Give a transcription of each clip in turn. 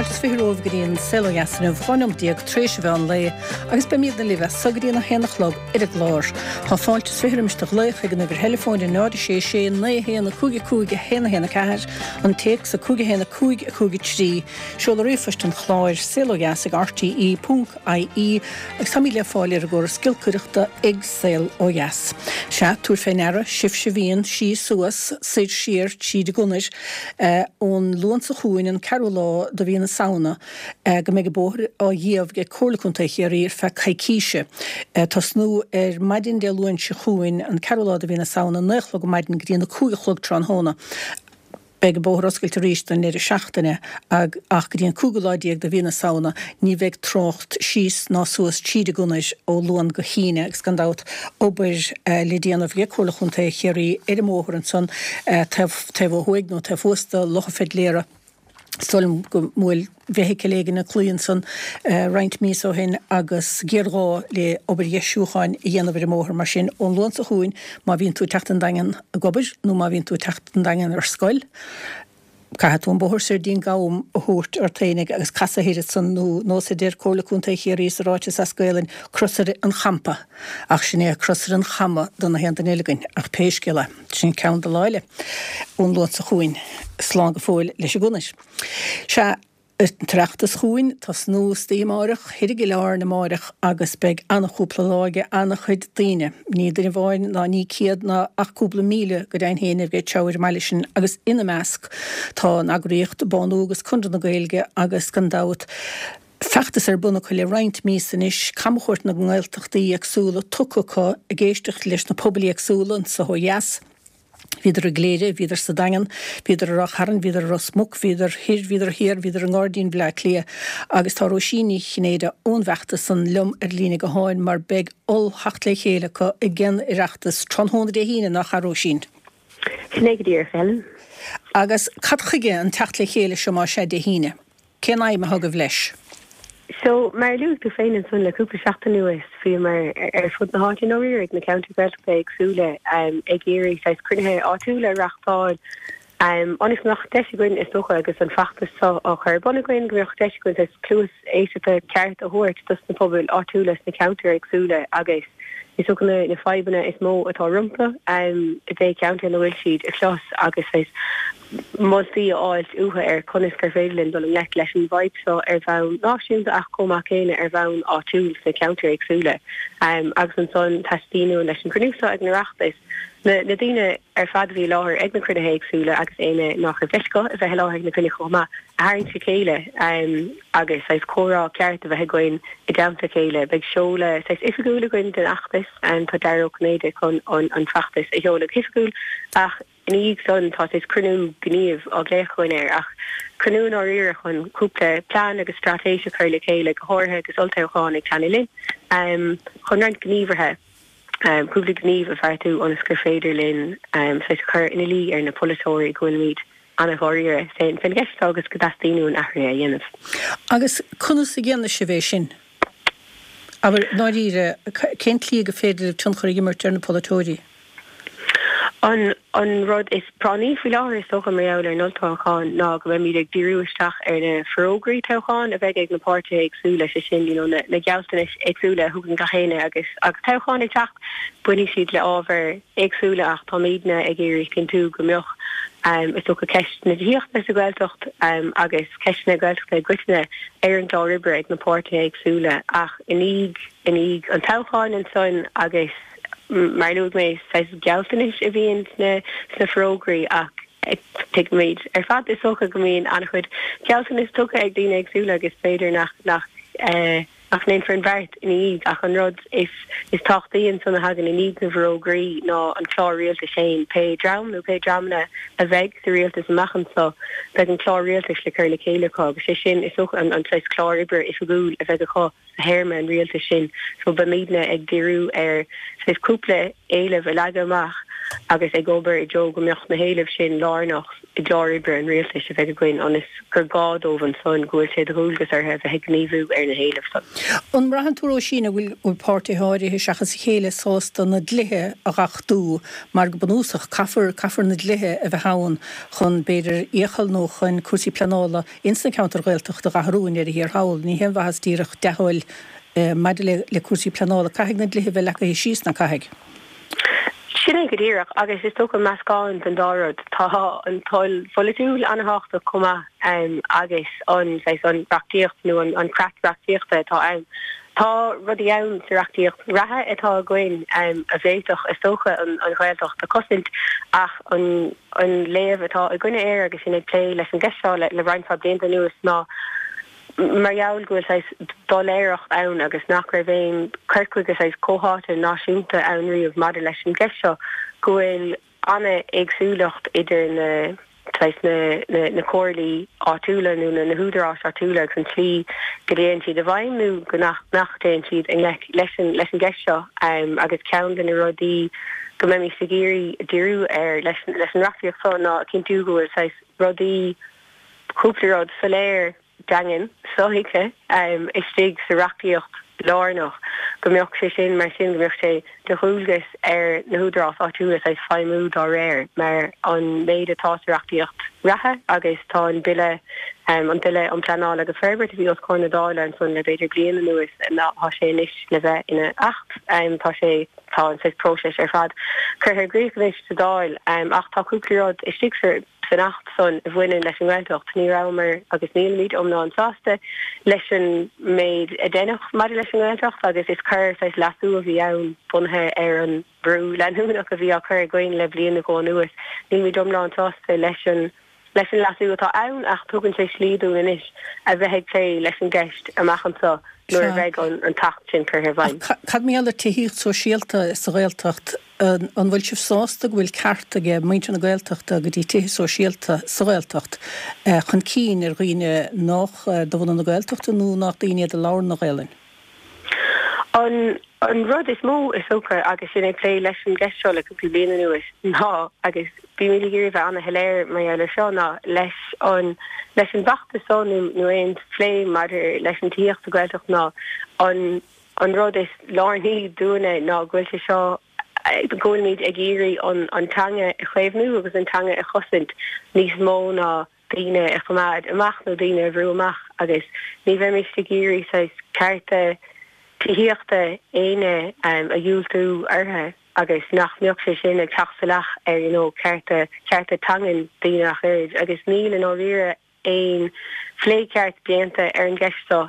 Fáilte is 20 romhaibh go dtí an Saol Ó Dheas inniu, 12 nóiméad tar éis an mheán lae, agus beimidne libh as so go dtí an 1 a chlog ar an gclár. Tá fáilte is 20 roimis do ghlaoch ag an uimhir theileafóin 0 6 6 9 1 5 5 1 1 4, an téacs 5 1 5 5 3, seoladh ríomhphoist an chláir, saolodheas ag rte ponc ie, agus táimid le fáil ar an gcóras giolcaireachta ag Saol Ó Dheas. Sea, tabhair fé ndeara, sibhse a bhíonn, síos suas, soir siar, tríd an gconair, ón Luan seo chugainn, an ceathrú lá de mhí na Samhna, go mbeidh an bóthar á dhíobh ag Comhairle Contae Chiarraí ar feadh coicíse. Tosnú ar maidin Dé Luain seo chugainn, an ceathrú lá de mhí na Samhna, 9 a chlog ar maidin go dtí an 5 a chlog tráthnóna. Beidh an bóthar oscailte arís don ndeireadh seachtaine ach go dtí an cúigiú lá déag de mhí na Samhna ní bheidh trácht síos ná suas tríd an gconair ó Luan go hAoine agus gan dabht obair le déanamh ag Comhairle Chontae Chiarraí ar an mbóthar ansan taobh taobh ó thuaidh nó taobh thuas de Loch an Pheidléara. Is dóigh liom go mbuail vehicle éigin an claí ansan roinnt míosa ó shin agus géarghá le obair dheisiúcháin a dhéanamh ar an mbóthar. Mar sin, ón Luan seo chugainn, má bhíonn tú ag teacht 'on Daingean ag obair nó má bhíonn tú ag teacht 'on Daingean ar scoil, caithfidh tú an bóthar soir dtí'n gCam a thabhairt ort fhéinig agus casadh thoir ansan nó nós a deir Comhairle Contae Chiarraí sa ráiteas as Gaelainn, Crosaire an Champa. Ach sin é Crosaire an Chama do na haon duine eile againn, ach pé scéal é. Sin ceann do lá eile. Ón Luan seo chugainn, slán go fóill leis an gconair. Sea, an tOireachtas chugainn, tosnú istoíche amáireach, thoir i gCill Airne amáireach agus beidh an-chúpla lá aige an-chuid daoine, ní duine amháin ná ní céad ná ach cúpla míle go deimhin féin a bheidh ag treabhadh ar an mbaile sin agus ina measc tá an eagraíocht Bánú agus Conradh na Gaeilge agus gan dabht feachtas ar bun acu le roinnt míosa anois, camchuairt na nGaeltachtaí éagsúla tugtha acu ag éisteacht leis na pobail éagsúla anso ó dheas. Bhíodar i gCléire, bhíodar sa Daingean, bhíodar i Ráth Chairn, bhíodar i Ros Muc, bhíodar thoir, bhíodar thiar, bhíodar i nGairdín Bhaile Átha Cliath agus tá Róisín Ní Chinnéide ón bhfeachtas san liom ar líne gutháin mar beidh oll-theacht le chéile acu ag an Oireachtas tráthnóna Dé hAoine, nach ea Róisín? Sin é go díreach, Helen. Agus cad chuige an teacht le chéile seo más ea Dé hAoine? Cén aidhm atá agaibh leis? So, mar a luaigh tú féin ansan, le cúpla seachtain anuas, bhíomar ar fud na háite i ndáiríre, ag na ceantair Ghaeltachta éagsúla, ag iarraidh saghas cruinnithe áitiúla a reáchtáil, ionas go mbeadh deis againn, is dócha, agus an feachtas seo á chur ar bun againn, go mbeadh deis againn saghas cluas éisteachta ceart a thabhairt dos na pobail áitiúla sna ceantair éagsúla agus is dócha na fadhbanna is mó atá rompu i bpé ceantar ina bhfuil siad a chlos agus saghas moltaí a fháilt uathu ar conas gur féidir linn dul i ngleic leis an bhfadhb seo ar bhonn náisiúnta ach chomh maith céanna ar bhonn áitiúil sna ceantair éagsúla. Agus ansan teastaíonn uainn leis an gcruinniú seo ag an Oireachtas na na daoine ar fad a bhí i láthair ag na cruinnithe éagsúla agus éinne nach raibh deis acu a bheith i láthair ag na cruinnithe chomh maith a tharraingt le chéile agus saghas comhrá ceart a bheith againn i dteannta a chéile. Beidh seoladh saghas oifigiúil againn den fheachtas. Tá Dara Ó Cinnéide chun an feachtas a sheoladh go hoifigiúil ach Ina dhiaidh san, tá saghas cruinniú gnímh á ghlaoch againn air, ach cruinniú i ndáiríre chun cúpla plean agus straitéis a chur le chéile, go háirithe agus olltoghchán ag teannadh linn, chun roinnt gníomhartha, cúpla gníomh a bheartú ionas gur féidir linn saghas a chur ina luí ar na polaiteoirí go bhfuilimid an-dháiríre fén gceist seo agus go dteastaíonn uainn athruithe a dhéanamh. Agus conas a dhéanfaidh sibh é sin? Abair, i ndáiríre, cén tslí gur féidir libh tionchar a imirt ar na polaiteoirí? An an rud is práinní faoi láthair, is dócha, mar gheall ar an olltoghchán ná go mbeimid ag díriú isteach ar na forógraí toghcháin a bheidh ag na páirtithe éagsúla, sé sin, you know, na na gealltanais éagsúla a thugann gach éinne agus agus toghchán ag teacht, bainfidh siad le ábhair éagsúla ach táimidne ag iarraidh cinntiú go mbeadh, is dócha, ceist na tithíochta sa Ghaeltacht agus ceisteanna Gaeltachta i gcoitinne ar an gclár oibre ag na páirtithe éagsúla ach i ndiaidh i ndiaidh an toghcháin ansan agus Mar a luaigh mé, saghas gealltanais a bhíonn sna forógraí ach tuigimid ar fad, is dócha, go mbíonn an-chuid gealltanas tugtha ag daoine éagsúla agus b'fhéidir nach nach nach ndéanfar an bheart ina dhiaidh. Ach an rud is is tábhachtaí ansan a thagann i ndiaidh na bhforógraí ná an clár rialtais féin. Pé dream nó pé dreamanna a bheidh sa rialtas amach anso, beidh an clár rialtais le cur le chéile acu agus sé sin, is dócha, an saghas clár oibre oifigiúil a bheidh acu. théarma an rialtais sin. So beimidne ag díriú ar saghas cúpla éileamh a leagadh amach agus ag obair i dtreo go mbeadh na héilimh sin lárnach. i gclár oibre an rialtais a bheidh againn ionas gur gá dóibh ansan go bhfuil sé de dhualgas orthu a bheith ag gníomhú ar na héilimh san. An mbraitheann tú, Róisín, go bhfuil páirtithe áirithe seachas a chéile sásta na dlíthe a dhachtú mar go bunúsach caithfear, caithfear na dlíthe a bheith ann chun b'fhéidir iachall nó chun cúrsaí pleanála ins na ceantair Ghaeltachta a dh'athrú i ndeireadh thiar thall. Ní haon mhaitheas díreach dea-thoil maidir le le cúrsaí pleanála. Caithfidh na dlíthe a bheith leagtha síos, ná caithfidh? Sin é go díreach, agus is dócha meascán den dá rud. Tá an toil pholaitiúil an-thábhachtach chomh maith agus an saghas an reachtaíocht nó an creat reachtaíochta atá ann. Tá rudaí ann sa reachtaíocht reatha atá againn a bhféadfadh, is dócha, an Ghaeltacht a chosaint ach an léamh atá againne air agus sinn ag plé leis an gceist seo le roinnt mhaith blianta anuas ná mar gheall go bhfuil saghas doiléireacht ann agus nach raibh aon cur chuige saghas comhtháite náisiúnta ann riamh maidir leis an gceist seo, go bhfuil an-éagsúlacht idir na saghas na na na comhairlí áitiúla nó na na húdaráis áitiúla agus an tslí go dtéann siad i bhfeidhm nó go nach nach dtéann siad i ngleic leis an leis an gceist seo. Agus ceann de na rudaí go mbeimís ag iarraidh díriú air leis leis an reachtaíocht seo ná a chinntiú go bhfuil saghas rudaí cúpla rud soiléir, daingean, sothuigthe istigh sa reachtaíocht lárnach, go mbeadh sé sin mar sin, go mbeadh sé de dhualgas ar na húdaráis áitiúla saghas feidhmiú dá réir, mar an méid atá sa reachtaíocht reatha agus tá an Bille, an Bille um Pleanáil agus Forbairt a bhí os comhair na Dála ansan le b'fhéidir bliain anuas, tá sé anois le bheith ina Acht, tá sé, tá an saghas próiseas ar fad curtha i gcrích anois sa Dáil ach tá cúpla rud istigh sa. san Acht san a bhaineann leis an nGaeltacht. Ní rabhamar agus nílimid iomlán sásta leis an méid a deineadh maidir leis an nGaeltacht agus is cor saghas leasú a bhí ann bunaithe ar an bhrú leanúnach a bhí á chur againn le bliain nó dhó anuas. Nílimid iomlán sásta leis an leis an leasú atá ann ach tugann sé slí dúinn anois a bheith ag plé leis an gceist amach anseo nuair a bheidh an tAcht sin curtha i bhfeidhm. Ach cad mar gheall ar tithíocht sóisialta sa Ghaeltacht? An bhfuil sibh sásta go bhfuil ceart ag muintir na Gaeltachta go dtí tithe sóisialta sa Ghaeltacht chun cinn ar dhaoine nách de bhunadh na Gaeltachta nó nách daoine iad a labhrann an Ghaelainn? An an rud is mó is dócha agus sinn ag plé leis an gceist seo le cúpla bliain anuas ná, agus bímid ag iarraidh bheith ana-shoiléir mar gheall ar seo, ná leis an leis an bhfeachtas seo nó nó aon phlé maidir leis an tithíocht sa Ghaeltacht ná an An rud is lárnaí dúinne ná go bhfuil sé seo, go bhfuilimid ag iarraidh an an teanga a chaomhnú agus an teanga a chosaint níos mó ná daoine a choimeád amach nó daoine a bhrú amach agus ní bheimis ag iarraidh saghas cearta tithíochta éinne a dhiúltú orthu agus nach mbeadh sé sin ag teacht salach ar you know cearta cearta teangan daoine ach oiread agus níl i ndáiríre aon phlé ceart déanta ar an gceist seo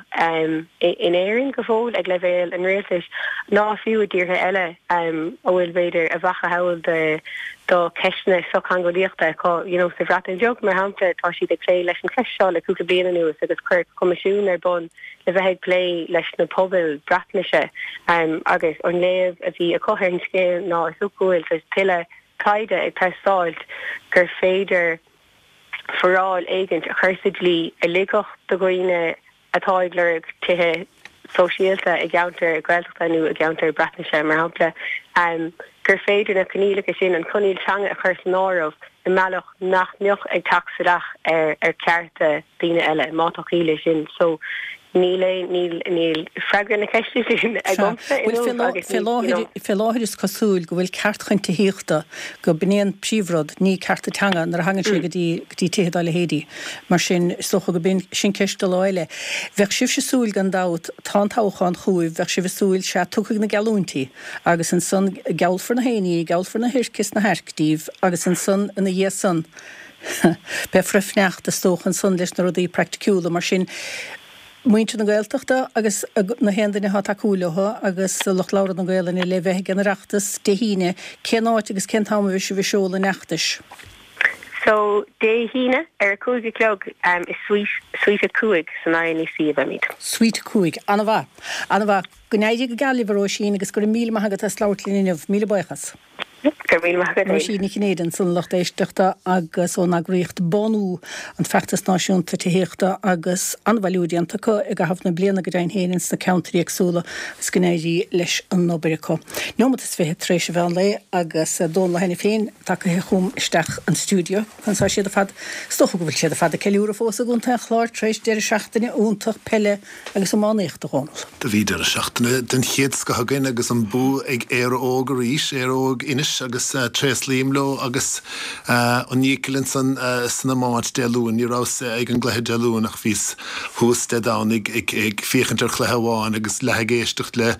in Éirinn go fóill ag leibhéal an rialtais ná fiú i dtíortha eile a bhfuil b'fhéidir a mhacasamhail de do cheisteanna sochtheangeolaíochta acu. You know sa Bhreatain Bheag mar shampla tá siad ag plé leis an cheist seo le cúpla bliain anuas agus cuireadh coimisiún ar bun le bheith ag plé leis na pobail Breatnaise agus an léamh a bhí acu ar an scéal ná is dócha go bhfuil tuilleadh taighde ag teastáilt gur féidir foráil éigint a chur sa dlí a ligfeadh do dhaoine atá ag lorg tithe sóisialta i gceantar Gaeltachta nó i gceantar Breatnaise, mar shampla, gur féidir na coinníollacha sin, an coinníoll teanga a chur san áireamh i mbealach nach mbeadh ag teacht salach ar chearta daoine eile, má tá ciall leis sin. So, níl aon, níl, níl freagra na ceiste sin agamsa inniu agus ní, you know. Fé láthair is cosúil go bhfuil ceart chun tithíochta, go b'in é an príomhrud, ní cearta teanga nuair a thagann sé go dtí, go dtí tithe dá leithéidí. Mar sin, is dócha go b'in, sin ceist do lá eile. Bheadh sibhse ag súil gan dabht, tá an toghchán chugaibh, bheadh sibh ag súil, sea, tiocfaidh na geallúintí agus ansan geallfar na héiní, geallfar na hoirc is na hairc díbh agus ansan ina dhiaidh san, Beidh frithshneachta is dócha ansan leis na rudaí praiticiúla, mar sin muintir na Gaeltachta agus na haon duine atá ag tacú leo agus lucht labhartha na Gaelainne le bheith ag an Oireachtas Dé hAoine. Cén áit agus cén t-am a bheidh sibh ag seoladh an fheachtais? So, Dé hAoine ar a 5 a chlog i Suite, Suite 5 san INEC a bheimid. Suite 5. An-mhaith. An-mhaith. Go n-éirí go geal libh a Róisín agus go raibh míle maith agat as labhairt linn inniu. Míle buíochas. Go raibh míle maith agat. Róisín Ní Chinnéide ansan, lucht éisteachta agus ón eagraíocht Bánú, an Feachtas Náisiúnta Tithíochta agus an-bhailiú déanta acu i gcaitheamh na bliana go deimhin féin ins na ceantair éagsúla agus go n-éirí leis an obair acu. Neomat is 20 tar éis an mheán lae agus Dónal Ó hAiniféin féin tagtha chugam isteach an stiúideo. Conas tá siad ar fad? Is dócha go bhfuil siad ar fad ag ceiliúradh fós i gContae an Chláir tar éis deireadh seachtaine iontach peile agus iománaíochta, a Dhónaill. Do bhí deireadh seachtaine den chéad scoth againn agus an bua ag Éire Óg arís, Éire Óg Inis agus tréaslaím leo agus an Fhiacail ansan san iomáint Dé Luain. Ní rabhas ag an gcluiche Dé Luain ach bhíos thuas Dé Domhnaigh ag féachaint ar chluiche amháin agus leath ag éisteacht le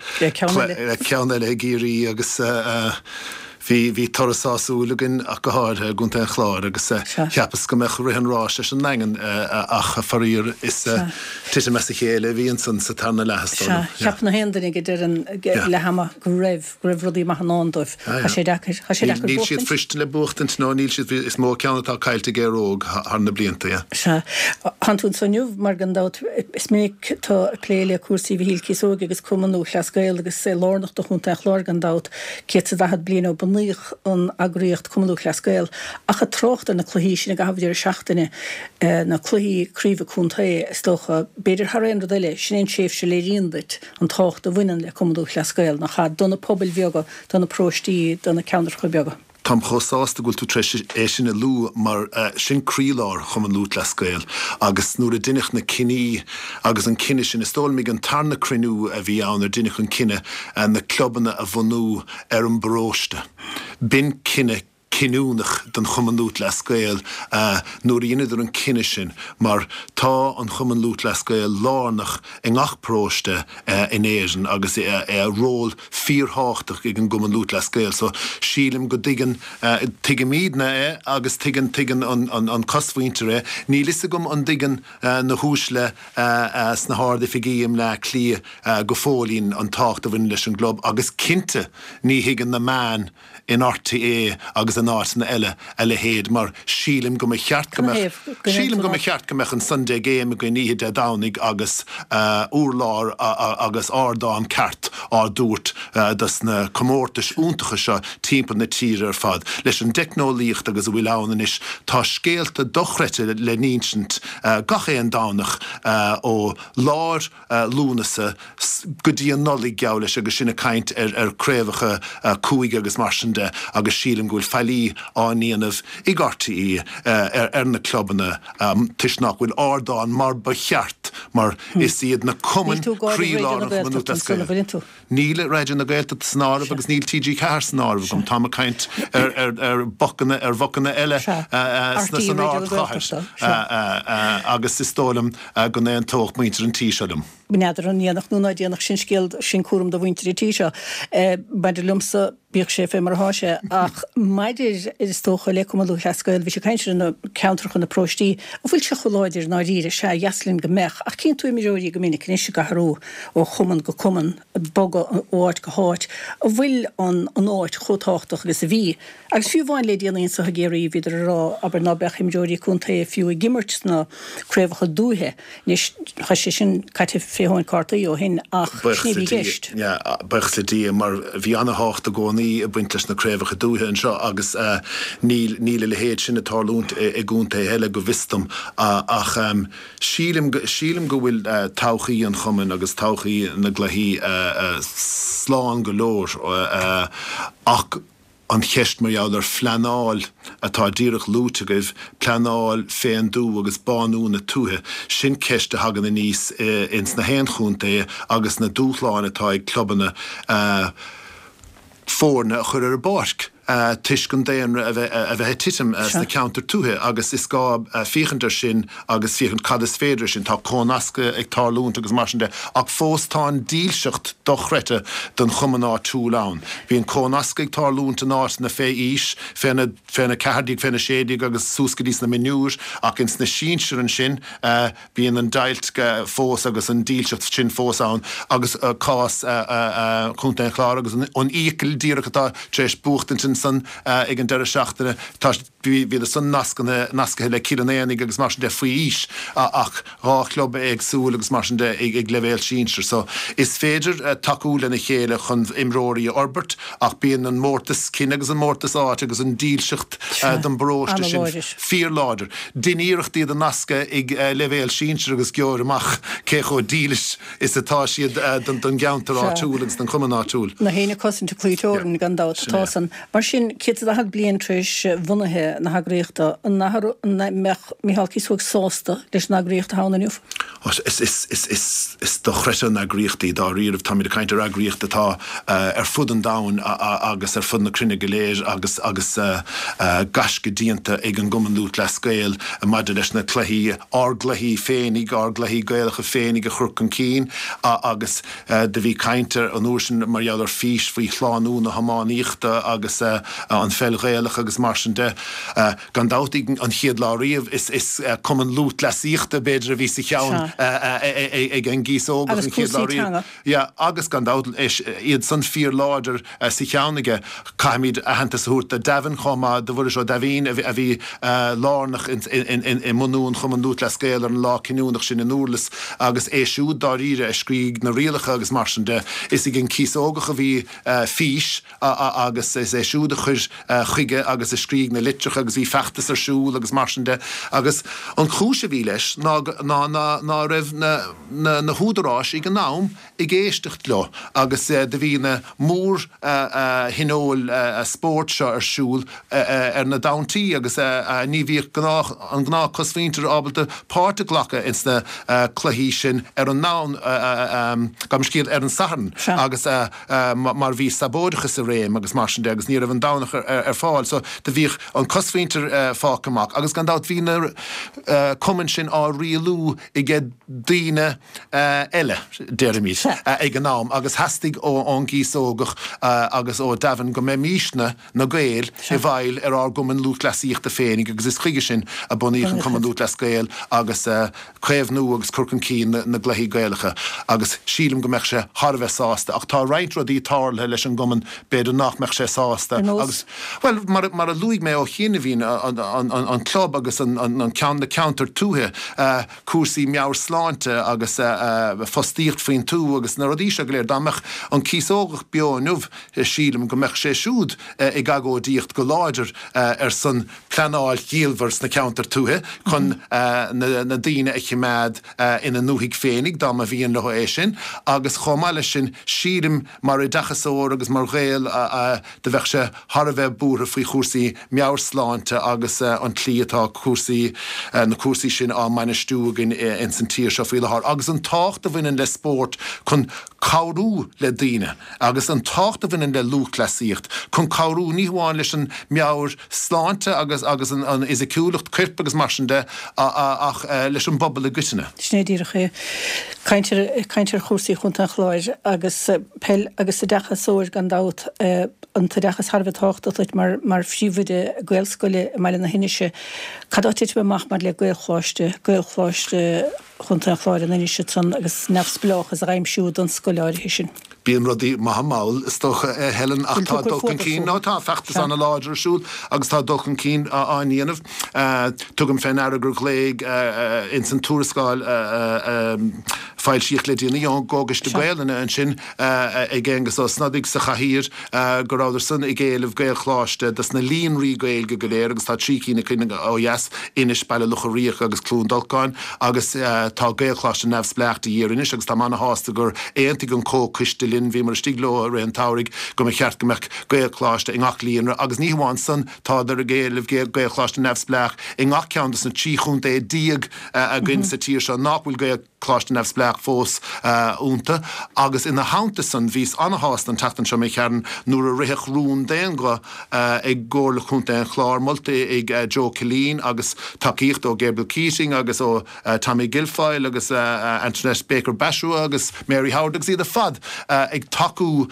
ceann eile i gCiarraí agus Bhí, bhí toradh sásúil againn ach go háirithe i gContae an Chláir agus cheapas go mbeadh rith an ráis leis an nDaingean ach faraor is titim as a chéile a bhí ansan sa tarna leath is dóigh liom. Sea, cheap na haon duine ag deireadh leath ama go raibh, go raibh rudaí maithe i ndán dóibh. Tá sé deacair, tá sé deacair Níl siad buachtaint. fuiste le buachtaint, no níl siad, is mó ceann atá caillte ag Éire Óg thar na blianta, yeah. Sea. Tánn tú anso inniu mar gan dabht is minic tú ag plé le cúrsaí Mhichíl Cíosóig agus Cumann Lúthchleas Gael agus é lárnach do Chontae an Chláir gan dabht. 140 bliain ó bunaíodh an eagraíocht Cumann Lúthchleas Gael, ach ag trácht ar na cluichí sin i gcaitheamh deireadh seachtaine, na cluichí craoibhe contae, is dócha, b'fhéidir thar aon rud eile, sin é an tréimhse a léiríonn duit an tábhacht a bhaineann le Cumann Lúthchleas Gael, nach ea, do na pobail bheaga, do na paróistí, do na ceantracha beaga. Táim chomh sásta go bhfuil tú tar éis é sin a lua mar sin croílár Chumann Lúthchleas Gael agus nuair a deineadh na cinní agus an cinneadh sin, is dóigh liom ag an tarna cruinniú a bhí ann ar deineadh an cinneadh na clubanna a bhunú ar an bparóiste. B'in cinneadh cinniúnach don Chumann Lúthchleas Gael nuair a dheineadar an cinneadh sin mar tá an Chumann Lúthchleas Gael lárnach i ngach paróiste in Éirinn agus ról fíorthábhachtach ag an gCumann Lúthchleas Gael so sílim go dtuigeann, tuigimidne é agus tuigeann, tuigeann an cosmhuintir é. Níl fhios agam an dtuigeann na huaisle sna hArd-Oifigí i mBleá Cliath go fóillín an tábhacht a bhaineann leis an gclub agus cinnte ní thuigeann na meáin in RTÉ agus in áiteanna eile a leithéid mar sílim go mba cheart go mbeadh sílim go mba cheart go mbeadh an Sunday Game againn oíche Dé Domhnaigh agus urlár agus ardán ceart á dtabhairt dos na comórtais iontacha seo timpeall na tíre ar fad. Leis an dteicneolaíocht agus a bhfuil ann anois tá scéalta dochreidte le n-insint gach aon Domhnach ó lár Lúnasa go dtí an Nollaig, geall leis, agus sinn ag caint ar craobhacha cúige agus mar sin de agus sílim go bhfuil faillí á ndéanamh ag RTÉ ar na clubanna toisc nach bhfuil ardán mar ba cheart mar is iad na cumainn croílár an Chumann Lúthchleas Gael. Níl Raidió na Gaeltachta san áireamh agus níl TG4 san áireamh agam. Táim ag caint ar bocanna, ar bhocanna eile san ardchathair agus is dóigh liom go n-aontódh muintir an tí seo liom. N'fheadar an ndéanfadh nó ná déanfadh, sin scéal, sin cúram do mhuintir an tí seo. Maidir liomsa, bíodh sé fé mar atá sé, ach maidir, is dócha, le Cumann Lúthchleas Gael, bhí sé ag caint ar na ceantracha, na paróistí, an bhfuil sé chomh láidir i ndáiríre? Sea, ba dheas linn go mbeadh, ach cíonn tú imreoirí go minic anois ag athrú ó chumann go cumann, ag bogadh ó áit go háit, an bhfuil an an áit chomh tábhachtach agus a bhí. Agus fiú amháin le déanaí anso i gCiarraí, bhíodar ag rá, abair, ná beadh imreoirí contae fiú ag imirt sna craobhacha dúiche. Anois, tá sé sin caite fé thóin cártaí ó shin ach sin é a bhí i gceist. Buíochas le Dia, mar bhí ana-thábhacht i gcónaí ag baint leis na craobhacha dúiche anseo agus níl níl a leithéid sin ag tarlúint i gcontaetha eile go bhfios dom ach Sílim, sílim go bhfuil todhchaí an chumainn agus todhchaí na gcluichí slán go leor ach an cheist mar gheall ar phleanáil atá díreach luaite agaibh, pleanáil fén dtuath agus bánú na tuaithe, sin ceist a thagann aníos ins na haon chontae agus na dúshláin atá ag clubanna foirne a chur ar an bpáirc. toisc an daonra a bheith ag titim sna ceantair tuaithe agus is gá féachaint air sin agus féachaint cad is féidir leis sin. Tá cónascadh ag tarlúint agus mar sin de ach fós tá an dílseacht dochreidte don chumann áitiúil ann. Bíonn cónascadh ag tarlúint in áiteanna fé aois, féna 14, féna 16 agus suas go dtí sna mionúir ach ins na sinsir ansin, Bíonn an deighilt fós agus an dílseacht sin fós ann agus cás Chontae an Chláir agus an Fhiacail díreach atá tar éis buachtaint ansan ag an deireadh seachtaine, tá. Bhíodar san nasctha le Cill an Éanaigh agus mar sin de faoi aois ach 2 chlub éagsúil agus mar sin de ag leibhéal sinsir. So is féidir tacú lena chéile chun imreoirí a fhorbairt ach bíonn an mórtas cine agus an mórtas áite agus an dílseacht don bparóiste sin fíorláidir. Dein iarracht iad a nascadh ag leibhéal sinsir agus gheobhair amach cé chomh dílis is atá siad don gceantar áitiúil agus don chumann áitiúil. Na héin ag cosaint a claí teorann, gan dabht, tá san. Mar sin, 140 bliain tar éis bhunaithe na heagraíochta, an mbeadh Micheál Cíosóg sásta leis an eagraíocht atá ann inniu? Is dochreidte an eagraíocht í dáiríribh. Táimid ag caint ar eagraíocht atá ar fud an domhain agus ar fud na cruinne go léir agus agus gaisce déanta ag an gCumann Lúthchleas Gael maidir leis na cluichí, ár gcluichí féinig, ár gcluichí Gaelacha féinig a chur chun cinn agus Do bhí caint ar an uair sin mar gheall ar fís faoi shlánú na hiománaíochta agus an pheil Ghaelach agus mar sin de. Gan dabht an chéad lá riamh is cumann lúthchleasaíochta b'fhéidir a bhí sa cheann ag an gCíosógach an chéad lá riamh. Yeah, agus gan dabht iad san fíorláidir sa cheann aige. Caithfimid aitheantas a thabhairt do Davin chomh maith, do Mhuiris Ó Daimhín a bhí lárnach i mbunú an Chumann Lúthchleas Gael ar an lá cinniúnach sin i nDúrlas agus é siúd dáiríre a scrígh na rialacha agus mar sin de. Is ag an Cíosógach a bhí fís agus is é siúd a chuir chuige agus a scrígh na litreacha agus bhí feachtas ar siúl agus mar sin de agus an chúis a bhí leis ná ná raibh na húdaráis ag an am ag éisteacht leo agus do bhí na mór-thionóil spóirt seo ar siúl ar na Domhantaí agus ní bhíodh gnáth, an gnáth cosmhuintir ábalta páirt a ghlacadh ins na cluichí sin ar an nDomhnach, gabh mo leithscéal, ar an Satharn agus mar bhí sabóideachas i réim agus mar sin de agus ní raibh an Domhnach ar fáil so do bhíodh an cosmhuintir fágtha amach agus gan dabht bhí na cumainn sin á rialú ag daoine eile, déarfaimid, ag an am agus theastaigh ón gCíosógach agus ó Davin go mbeimísne, na Gaeil, i bhfeighil ar ár gcumann lúthchleasaíochta féinig agus is chuige sin a bunaíodh an Cumann Lúthchleas Gael agus caomhnú agus cur chun cinn na gcluichí Gaelacha agus sílim go mbeadh sé thar a bheith sásta ach tá roinnt rudaí tarlaithe leis an gcumann b'fhéidir nach mbeadh sé sásta agus bhuel mar a luaigh mé ó chianaibhín an club agus an ceann na ceantair tuaithe cúrsaí meabhairshláinte agus fostaíocht faoin tuath agus na rudaí seo go léir. Dá mbeadh an Cíosógach beo inniu, sílim go mbeadh sé siúd ag agóidíocht go láidir ar son pleanáil chiallmhar sna ceantair tuaithe chun na daoine a chimeád ina ndúthaigh féinig, dá mba mhian leo é sin. Agus chomh maith leis sin, sílim mar oideachasóir agus mar Ghael, Do bheadh sé thar a bheith buartha faoi chúrsaí meabhairshláinte agus an tslí atá cúrsaí, na cúrsaí sin á mbainistiú againn ins an tír seo faoi láthair agus an tábhacht a bhaineann le spórt chun cabhrú le daoine agus an tábhacht a bhaineann le lúthchleasaíocht chun cabhrú ní hamháin leis an meabhairshláinte agus agus an fhisiciúlacht coirp agus mar sin de ach leis an bpobal i gcoitinne. Sin é díreach é. Caint ar, caint ar chúrsaí Chontae an Chláir agus. Peil agus oideachas óir gan dabht, an t-oideachas thar a bheith tábhachtach duit mar mar phríomhoide Gaelscoile i mBaile na hInise. Cad atá ag titim amach maidir le Gaelcholáiste, Gaelcholáiste Chontae an Chláir in Inis ansan agus neamhspleáchas a aimsiú don scoil áirithe sin? Bíonn rudaí maith mall, is dócha, a Helen, ach tá dul chun cinn, nó tá feachtas an-láidir ar siúl agus tá dul chun cinn á ndéanamh. Tugaim fé ndeara gur ghlaoigh ins an tuarascáil a foilsíodh le déanaí ón gComhchoiste Gaelainne ansin ag Aengus Ó Snodaigh sa chathaoir go rabhadar san ag éileamh Gaelcholáiste dos na líonraí Gaeilge go léir agus tá 3 cinn acu ó dheas, Inis, Baile Locha Riach agus Cluain Dolcáin agus tá Gaelcholáiste neamhspleách de dhíth ar Inis agus táim ana-shásta gur aontaigh an Comhchoiste linn, bhíomar istigh leo i rith an tsamhraidh, go mba cheart go mbeadh Gaelcholáiste i ngach líonra agus ní hamháin san, Tádar ag éileamh Gaelcholáiste neamhspleách i ngach ceann dos na 13 chontae againn sa tír seo nach bhfuil Gaelcholáiste neamhspleách fós iontu. Agus ina theannta san, bhíos ana-shásta an tseachtain seo imigh tharainn nuair a ritheadh rún d'aon ghuth ag gComhairle Chontae an Chláir, molta ag Joe Killeen agus tacaíocht ó Gabriel Keating agus ó Tommy Guilfoyle agus Antoinette Baker Bashua agus Mary Howard agus iad ar fad ag tacú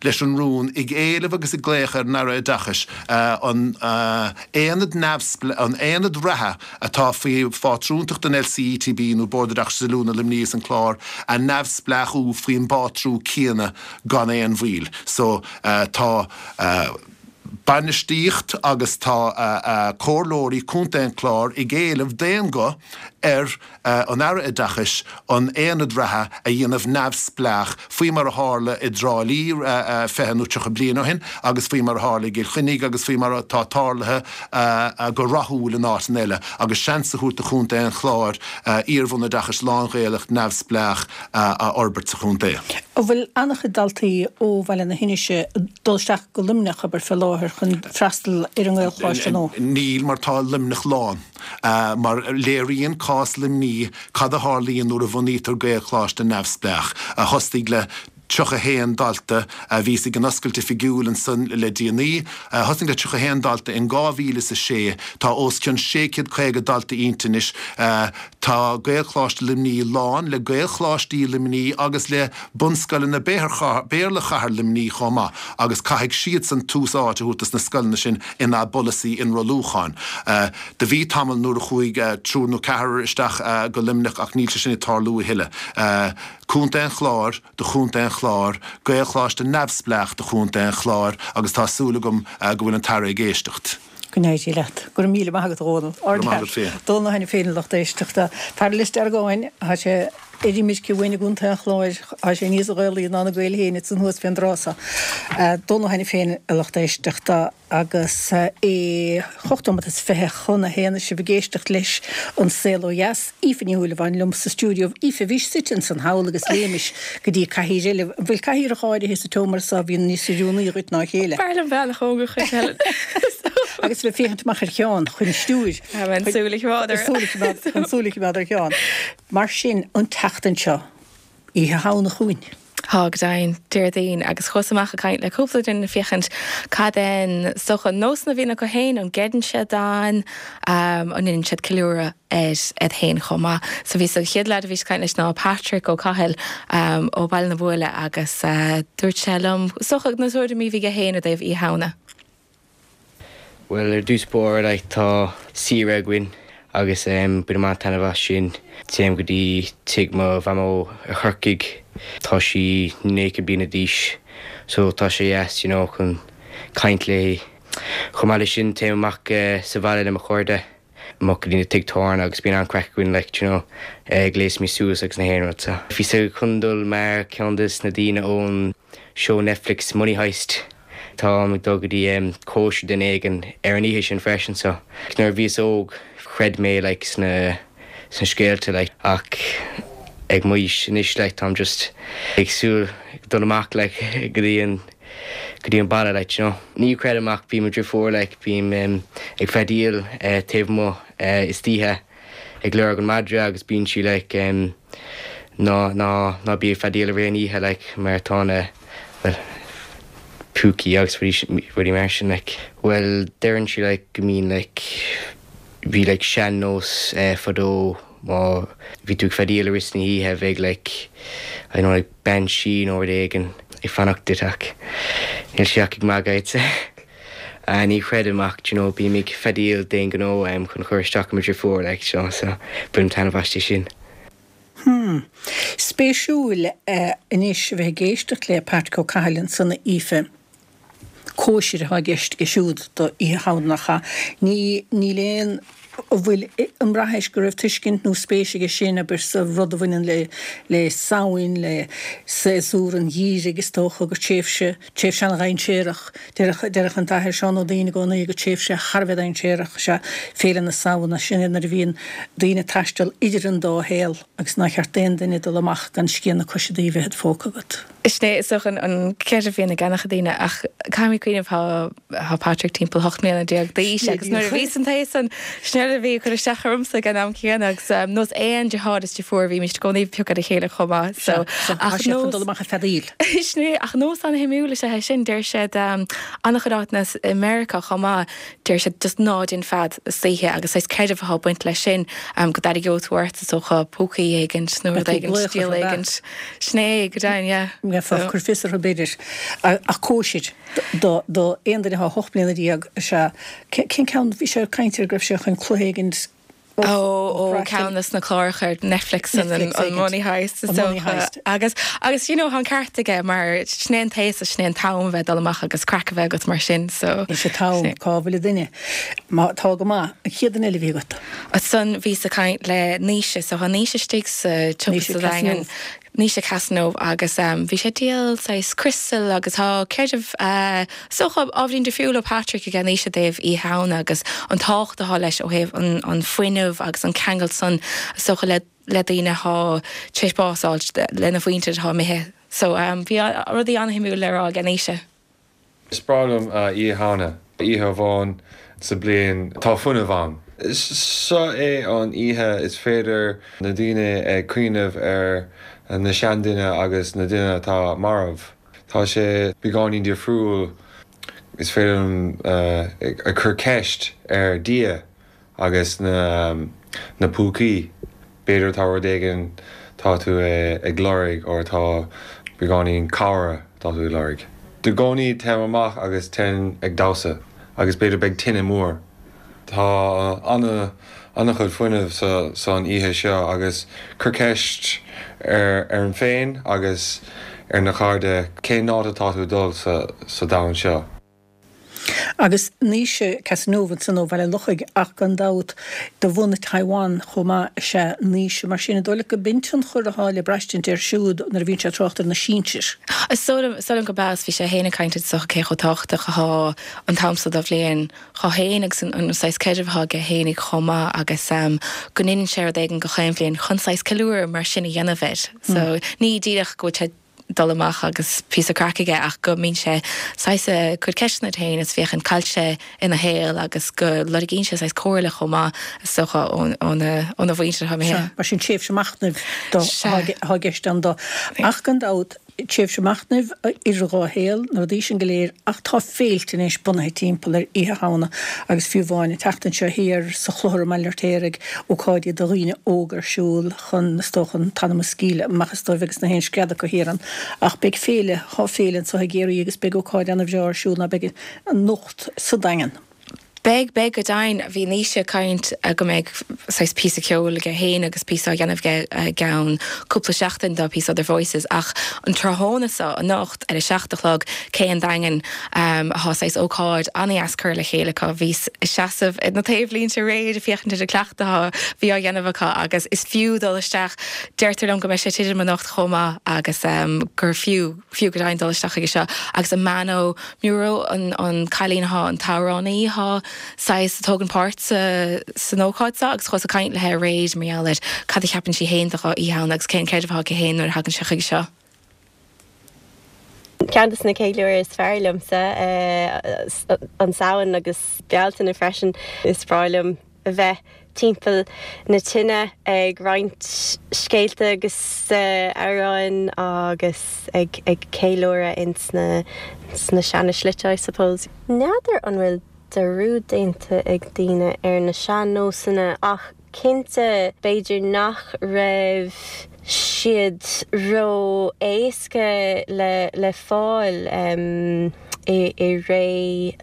leis an rún ag éileamh agus ag glaoch ar an Aire Oideachais an aonad an aonad reatha atá faoi phátrúntacht an LCETB nó Bord Oideachais is Oiliúna Luimnigh is an Clár a neamhspleáchú faoin bpátrú céanna gan aon mhoill. So tá. Bainistíocht agus tá comhairleoirí Contae an Chláir ag éileamh d'aon ghuth ar an Aire Oideachais an aonad reatha a dhéanamh neamhspleách faoi mar a tharla i dTrá Lí 20 nó 30 bliain ó shin agus faoi mar a tharla i gCill Chainnigh agus faoi mar atá tarlaithe go rathúil in áiteanna eile agus seans a thabhairt do Chontae an Chláir iarbhunoideachas lán-Ghaelach neamhspleách a fhorbairt sa chontae. An bhfuil an-chuid daltaí ó Bhaile na hInise ag dul isteach go Luimneach, abair, fé láthair chun freastal ar an nGaelcholáiste nó? Níl, mar tá Luimneach lán. Mar léiríonn cás Luimnigh cad a tharlaíonn nuair a bhunaítear Gaelcholáiste neamhspleách, a thosnaigh le 31 dalta, bhíos ag an oscailt oifigiúil ansan le déanaí, thosnaigh le 31 dalta in 2006, tá os cionn 650 dalta inti anois. Tá Gaelcholáiste Luimnigh lán le Gaelcholáistí Luimnigh agus le bunscoileanna Béarla Chathair Luimnigh chomh maith agus caithfidh siadsan tús áite a thabhairt dos na scoileanna sin ina bpolasaí inrollúcháin. Do bhí tamall nuair a chuaigh triúr nó ceathrar isteach go Luimneach ach níl sé sin ag tarlú a thuilleadh. Contae an Chláir do Chontae an Chláir, Gaelcholáiste neamhspleách do Chontae an Chláir agus tá súil agam go bhfuil an tAire ag éisteacht. Go n-éirí leat. Go raibh míle maith agat, a Dhónaill. Go raibh maith agat féin. Dónal Ó hAiniféin, a lucht éisteachta. Fear Lios Deargáin, tá sé ar imirce uainn i gContae an Chláir, tá sé níos Gaelaí ná na Gaeil féin ansan thuas fén dtrá so. Dónal Ó Hainiféin, a lucht éisteachta. Agus é hocht nóiméad is 20 chun a haon, sibh ag éisteacht leis An Saol Ó Dheas. Aoife Ní Shúilleabháin liom sa stiúideo. Aoife, bhís suite ansan thall agus léimis go dtí cathaoir eile. An bhfuil cathaoireacha áirithe sa tseomra so a bhíonn níos oiriúnaí dhuit ná a chéile? B'fhearr liom bheith an-chóngarach dhuit, Helen. Agus bheith ag féachaint amach ar Sheán chun stiúir. Chun súil a choimeád air. Chun súil a choimeád ar Sheán. Mar sin, an tseachtain seo, Oíche Shamhna chugainn. Tá, go deimhin, Déardaoin, agus chuas amach ag caint le cúpla duine féachaint cad é is dócha nósanna a bhíonn acu féin, an gcreideann siad ann, an ndéanann siad ceiliúradh air iad féin chomh maith. So bhí, an chéad leaid a bhíos ag caint leis ná Patrick Ó Cathail ó Baile na Buaile agus dúirt sé liom, is dócha, na tuairimí a bhí aige féin i dtaobh Oíche Shamhna. Bhuel, ar dtús báire, like, tá saoire againn agus bainim an-taitneamh as sin. Téim go dtí tigh mo mhamó i Chorcaigh. Tá sí 90 bliana d'aois so tá sé dheas, you know, chun caint léi. Chomh maith leis sin, téim amach sa bhaile le mo chairde, amach go dtí na tigh tábhairne agus bíonn an-craic againn, like, you know, gléasaimid suas agus na haon rud so. Bhíos chun dul mar ceann des na daoine ón seó Netflix Money Heist. Táim ag dul go dtí cóisir duine éigin ar an oíche sin freisin so nuair a bhíos óg chreid mé like sna sna scéalta like ach ag m'aois anois like táim just ag súil dul amach like go dtí an go dtí an baile like you know. Ní chreidim ach bíonn mo dhriofúr like bím ag feadaíl taobh amuigh istoíche ag lorg an madra agus bíonn sí like ná ná ná bí ag feadaíl i rith an oíche like mar tá na bhuel púcaí agus rudaí rudaí mar sin like. Bhuel deireann sí like go mbíonn like bhí like sean nós fadó má bhí tú ag feadaíl i rith na hoíche bheadh like I don't know like bean sí nó rud éigin ag fanacht duit ach níl sí ach ag magadh. Ní chreidim ach do you know bím ag feadaíl d'aon ghnó chun cur isteach ar mo dhriofúr like do you know so bainim taitneamh aisti sin. Hmm. Spéisiúil anois a bheith ag éisteacht le Patrick Ó Cathail ansan a Aoife. Cóisir atá i gceist aige siúd do Oíche Shamhna nach ea? Ní, níl aon, an bhfuil, an mbraithis go raibh tuiscint nó spéis aige sin, abair, sa rud a bhaineann le, le Samhain, le séasúr an gheimhridh is dócha, gur tréimhse, tréimhse an-dhainséarach, Deireadh an tAthair Seán Ó Duinn i gcónaí gur tréimhse thar a bheith dainséarach is ea Féile na Samhna, sin é nuair a bhíonn daoine ag taisteal idir an dá shaol agus nár cheart d'aon duine dul amach gan sciath na coise daoi bheith id phóca agat. Sin é is dócha an creideamh a bhíonn ag an-chuid daoine ach caithfimid cuimhneamh tá Patrick timpeall 18 mbliana d'aois agus nuair a bhíos an t-aos san sin é a bhí ag cur isteach ormsa ag an am céanna agus nós aon deartháir is deirfiúr bhímist i gcónaí ag piocadh ar a chéile chomh maith so ach nós dul amach ag feadaíl. Sin é, ach nós an-shuimiúil is ea é sin. Deir siad, an-chuid áiteanna i Meiriceá chomh maith, deir siad just ná déan fead istoíche agus saghas creideamh atá ag baint leis sin, go dtarraingeoidh tú ort, is dócha, púcaí éigint nó rud éigint, diabhal éigint. Sin é, go deimhin, yeah. Mbeifeá ag cur fios orthu b'fhéidir. Ach cóisir do aon duine atá 18 mbliana is ea. Cén ceann, bhí sé ag caint ar go raibh sé chun cluiche éigint. Ó ceann de na cláracha ar Netflix an an Money Heist is dócha. Agus agus you know tá an ceart aige mar sin é an t-aos is sin é an t-am a bheith ag dul amach agus craic a bheith agat mar sin so. Is an t-am, cá bhfuil an duine? Má tá go maith, an chéad duine eile a bhí agat? Ansan bhíos ag caint le Naoise, so tá Naoise istigh sa tsiopa sa Daingean. Naoise Casanove agus bhí sé ag díol saghas criostail agus tá creideamh is dócha ábhairín difriúil ó Patrick aige Naoise i dtaobh Oíche Shamhna agus an tábhacht atá leis ó thaobh an fuinneamh agus an ceangal san is dócha le le daoine atá tar éis bás a fháilt lena mhuintir atá imithe. So bhí rudaí an-shuimiúil le rá aige Naoise. Is breá liom Oíche Shamhna. Oíche amháin sa bliain tá fuinneamh ann. Seo é an oíche is féidir na daoine ag cuimhneamh ar na seanduine agus na duine atá marbh. Tá sé beagáinín difriúil. Is féidir liom ag cur ceist ar Dia. Agus na na púcaí. B'fhéidir tá rud éigin tá tú ag lorg or tá beagáinín cabhair tá tú ag lorg. I gcónaí téim amach agus téim ag damhsa agus b'fhéidir beidh tine mór. Tá ana ana-chuid fuinnimh sa san oíche seo agus cuir ceist ar ar an féin agus ar na cairde cén áit atá tú ag dul sa sa domhan seo. Agus Naoise Casanove ansan ó Bhaile Lochaigh ach gan dabht de bhunadh Taiwan chomh maith is ea Naoise. Mar sin, an dóigh leat go b'in tionchar atá le braistint air siúd nuair a bhíonn sé ag trácht ar na sinsir? Is dóigh liom, is dóigh liom go b'ea agus bhí sé féin ag caint is dócha cé chomh tábhachtach atá an t-am so dá bhliain dhó féin agus an saghas creideamh atá aige fhéinig chomh maith agus go ndeineann sé rud éigin gach aon bhliain chun saghas ceiliúradh mar sin a dhéanamh air. So ní díreach go bhfuil sé dul amach agus píosa craic aige ach go mbíonn sé saghas ag cur ceisteanna air féin is féachaint cá bhfuil sé ina shaol agus go lorgaíonn sé saghas comhairle chomh maith is dócha óna óna mhuintir atá imithe. Sea, mar sin tréimhse machnaimh do atá i gceist ann dó. Ach gan dabht, tréimhse machnaimh idir an dhá shaol, na rudaí sin go léir ach tá féilte anois bunaithe timpeall ar Oíche Shamhna agus fiú amháin an tseachtain seo thiar sa Chlochar i mBaile an Fheirtéaraigh, ócáidí do dhaoine óga ar siúl. chun, is dócha, an t-anam a scaoileadh amach is dóibh agus na haon scread acu thiar ann. Ach beidh féile, thá féile anso i gCiarraí agus beidh ócáid ana-bhreá ar siúl, ná beidh anocht sa Daingean. Beidh, beidh go deimhin. Bhí Naoise ag caint go mbeidh saghas píosa ceoil aige féin agus píosa á dhéanamh aige i gceann cúpla seachtain dá píosa Other Voices ach an tráthnóna seo, anocht, ar a seacht a chlog, Cé an Daingin, thá saghas ócáid ana-dheas curtha le chéile acu. Bhíos ag seasamh ar na taobhlínte aréir ag féachaint ar an cleachtadh a bhí á dhéanamh acu agus is fiú dul isteach. Deirtear liom go mbeidh sé tirim anocht chomh maith agus gur fiú, fiú go deimhin dul isteach chuige seo. Agus Amano Muro an an cailín athá, an t-amhránaí athá saghas ag tógaint páirt sa san ócáid seo agus chuas ag caint léithe aréir mar gheall ar cad a cheapann sí féin de Oíche Shamhna agus cén creideamh athá aici féin nuair a thagann sé chuige seo. Ceann de na ceiliúradh is fearr liomsa, an Samhain agus Bealtaine freisin. Is breá liom a bheith timpeall na tine ag roinnt scéalta agus amhráin agus ag ceiliúradh ins na seana slite, I suppose. N'fheadar an bhfuil dearúd déanta ag daoine ar na sean-nósanna ach Cinnte, b'fhéidir nach raibh siad ró-éasca le fáil i ré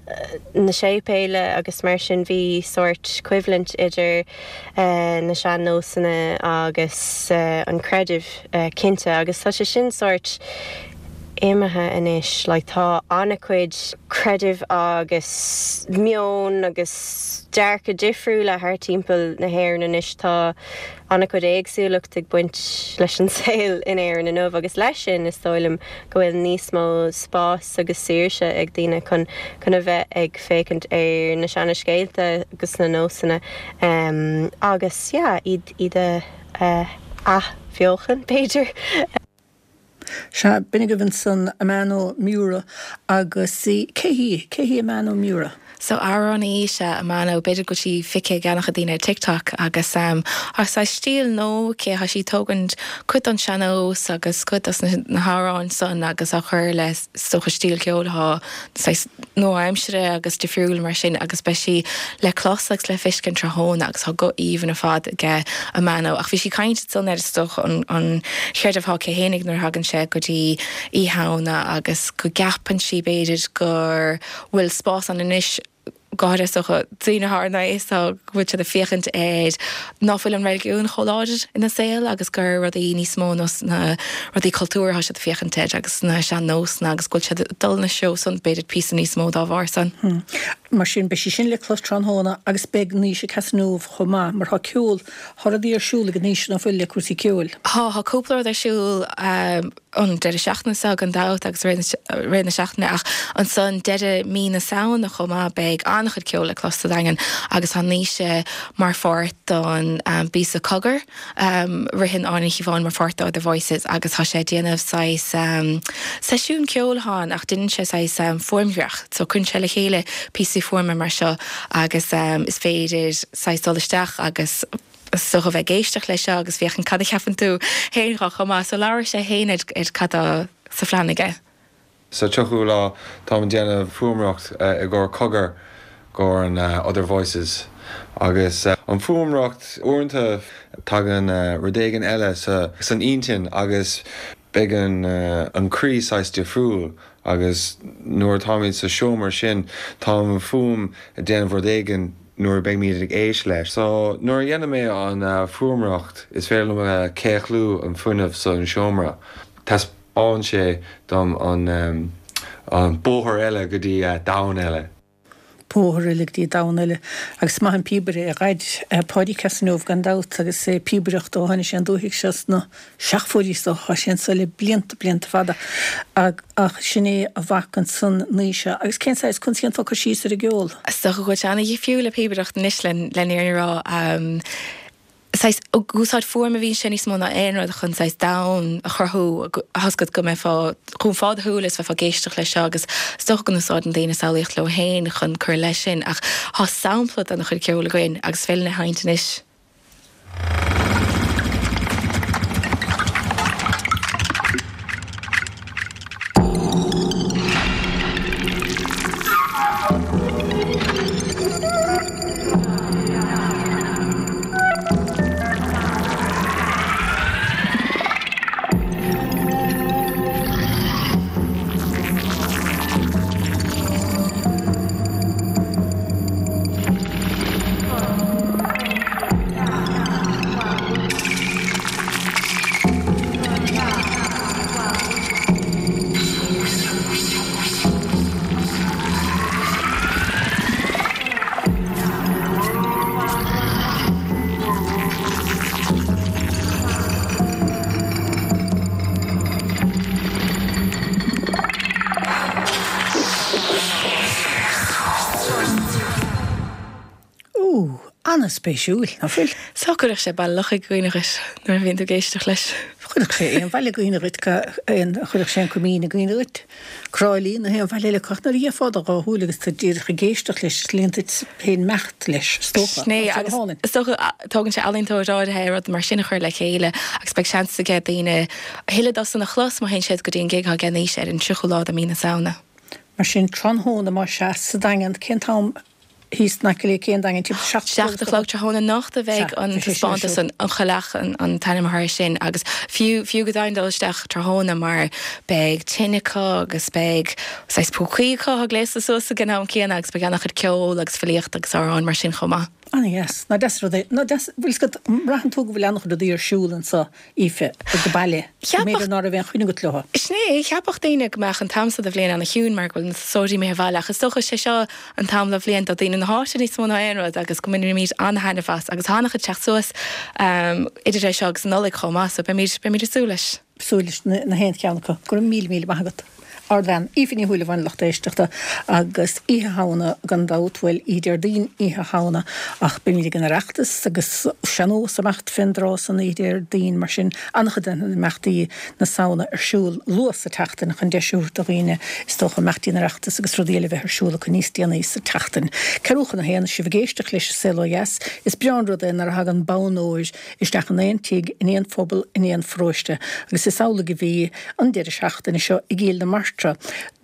na séipéile agus mar sin bhí sórt coimhlint idir na sean-nósanna agus an creideamh, cinnte. Agus tá sé sin sórt imithe anois, like tá an-chuid creidimh agus meon agus. dearcadh difriúla thart timpeall na hÉireann anois. Tá an-chuid éagsúlacht ag baint leis an saol in Éirinn inniu agus leis sin is dóigh liom go bhfuil níos mó spás agus saoirse ag daoine chun chun a bheith ag féachaint ar na seana scéalta agus na nósanna agus yeah iad iad a athbheochan b'fhéidir. Sea, b'in agaibh ansan Amano Miura agus í, cé hí? Cé hí Amano Miura? So amhránaí is ea Amano, b'fhéidir go bhfuil sí feicthe ag an-chuid daoine ar TikTok agus tá saghas stíl nua aici, tá sí ag tógaint cuid den sean-nós agus cuid dos na hamhráin san agus á chur le is dócha stíl ceoil atá saghas nua-aimseartha agus difriúil mar sin agus beidh sí le clos agus le feiscint tráthnóna agus tá guth aoibhinn ar fad aige Amano ach bhí sí ag caint ansan ar is dócha an an chreideamh atá aici fhéinig nuair a thagann sé go dtí Oíche Shamhna agus go gceapann sí b'fhéidir gur bhfuil spás ann anois. Go háirithe is dócha, daoine thar an aois go bhfuil siad ag féachaint ar ná fuil an reiligiún chomh láidir ina saol agus gur rudaí níos mó nós na rudaí cultúrtha atá siad ag féachaint air agus na sean-nósanna agus go bhfuil siad ag dul ina threo san b'fhéidir píosa níos mó dá bharr san. Mar sin, beidh sí sin le clos tráthnóna agus beidh Naoise Casanova chomh maith mar tá ceol, tá rudaí ar siúl ag Naoise ná fuil le cúrsaí ceoil? Tá, tá cúpla rud ar siúl. an deireadh seachtaine seo gan dabht agus rith na seachtaine ach ansan deireadh mí na Samhna chomh maith beidh an-chuid ceoil le clos sa Daingean agus tá Naoise mar pháirt don bpíosa Cogar. Ritheann Áine Ní Chíobháin mar pháirt de Other Voices agus tá sé ag déanamh saghas seisiún ceoil ann ach déanann sé saghas fuaimdhreach so cuireann sé le chéile píosaí fuaime mar seo agus is féidir saghas dul isteach agus Is dócha bheith ag éisteacht leis seo agus féachaint cad a cheapann tú féin dhó chomh maith. So labhair sé féin ar cad tá sa phlean aige. Sa 30ú lá táim ag déanamh fuaimdhreacht i gcomhair Cogar, i gcomhair an Other Voices. Agus an fuaimdhreacht, uaireanta tagann rud éigin eile san intinn agus beidh an croí saghas difriúil agus nuair atáimid sa seomra sin tá an fuaim ag déanamh rud éigin nuair a beimid ag éist leis. So nuair a dhéanann mé an fuaimdhreacht is féidir liom a claochlú an fuinneamh san seomra. Taispeánann sé dom an bóthar eile go dtí domhan eile. Bóthar eile go dtí domhan eile. Agus is maith an píobaire é a Dhaid, Páidí Casanova gan dabht agus é ag píobaireacht ó tháinig sé an dúthaigh seo sna seachtóidí is dócha, tá sé anso le blianta, blianta fada. Ach sin é a mhac ansan, Naoise. Agus cén saghas, conas a dhéanfá cur síos ar an gceol? Is dócha go bhfuil sé ana-dhifriúil le píobaireacht anois le an fhírinne a rá. Saghas, ag úsáid fuaim a bhíonn sé níos mó ná aon rud chun saghas domhan a chruthú, tá 's agat go mbeifeá, dhúnfá do shúile is bheifeá ag éisteacht leis seo agus is dócha go n-úsáideann daoine samhlaíocht leo féin chun cur leis sin. Ach tá sampla dena chuid ceoil againn agus is féidir linn é a sheinnt anois. Ooh, an-spéisiúil, ná fuil? So chuirfeadh sé Baile Locha i gcuimhne dhuit nuair a bhíonn tú ag éisteacht leis. Chuirfeadh sé aon bhaile i gcuimhne dhuit, chuirfeadh sé an Coimín i gcuimhne dhuit, Trá Lí nó aon bhaile eile ach nuair a ghéillfeá do dhá shúil agus tú díreach ag éisteacht leis, is líon duit féin imeacht leis, is dócha. Sin é, agus is dócha, tógann sé ealaíontóir áirithe rud mar sin a chur le chéile agus beidh seans aige daoine a thuilleadh dó san a chlos má théann siad go dtí an gig atá ag Naoise ar an 30ú lá de mhí na Samhna. Mar sin, tráthnóna más ea, sa Daingean, cén t-am thíos in aice le cé an Daingin, timpeall 7 a chlog? 7 a chlog tráthnóna anocht a bheidh an taispeántas, an Choileach an t-ainm atá air sin, agus fiú, fiú go deimhin dul isteach tráthnóna mar beidh tine acu agus beidh saghas púcaí acu atá gléasta suas ag an am céanna agus beidh an-chuid ceol agus filíocht agus amhráin mar sin chomh maith. Ana-dheas. Nach deas an rud é. Nach deas, bhfuil 's agat, an mbraitheann tú go bhfuil an-chuid rudaí ar siúl anso Aoife, ag baile, go mb'fhéidir ná raibh aon choinne agat leo. Sin é, cheapfadh daoine go mbeadh an t-am seo de bhliain ana-chiúin mar go bhfuil na turasóirí imithe abhaile ach is dócha is é seo an t-am de bhliain do daoine na háite níos mó ná aon rud agus go mbainimid an-thaitneamh as agus tá an-chuid teacht suas idir é seo agus an Nollaig chomh maith so beimid, beimid ag súil leis. Súil leis na haon cheann acu. Go raibh míle míle maith agat. Ardbhean, Aoife Ní Shúilleabháin lucht éisteachta agus Oíche Shamhna gan dabht, bhuel, Oíche Déardaoin, Oíche Shamhna, ach beimid ag an Oireachtas agus sean-nós imeacht fén dtráth san Oíche Déardaoin, mar sin an-chuid de na imeachtaí na Samhna ar siúl luath sa tseachtain chun deis a thabhairt do dhaoine is dócha imeachtaí an Oireachtais agus rudaí eile a bheith ar siúl acu níos déanaí sa tseachtain. Ceathrú chun a haon, sibh ag éisteacht leis An Saol Ó Dheas, is breá an rud é nuair a thagann bonn óir isteach in aon tigh, in aon phobal, in aon pharóiste, agus is amhlaidh a bhí an deireadh seachtaine seo i gCill na Martra.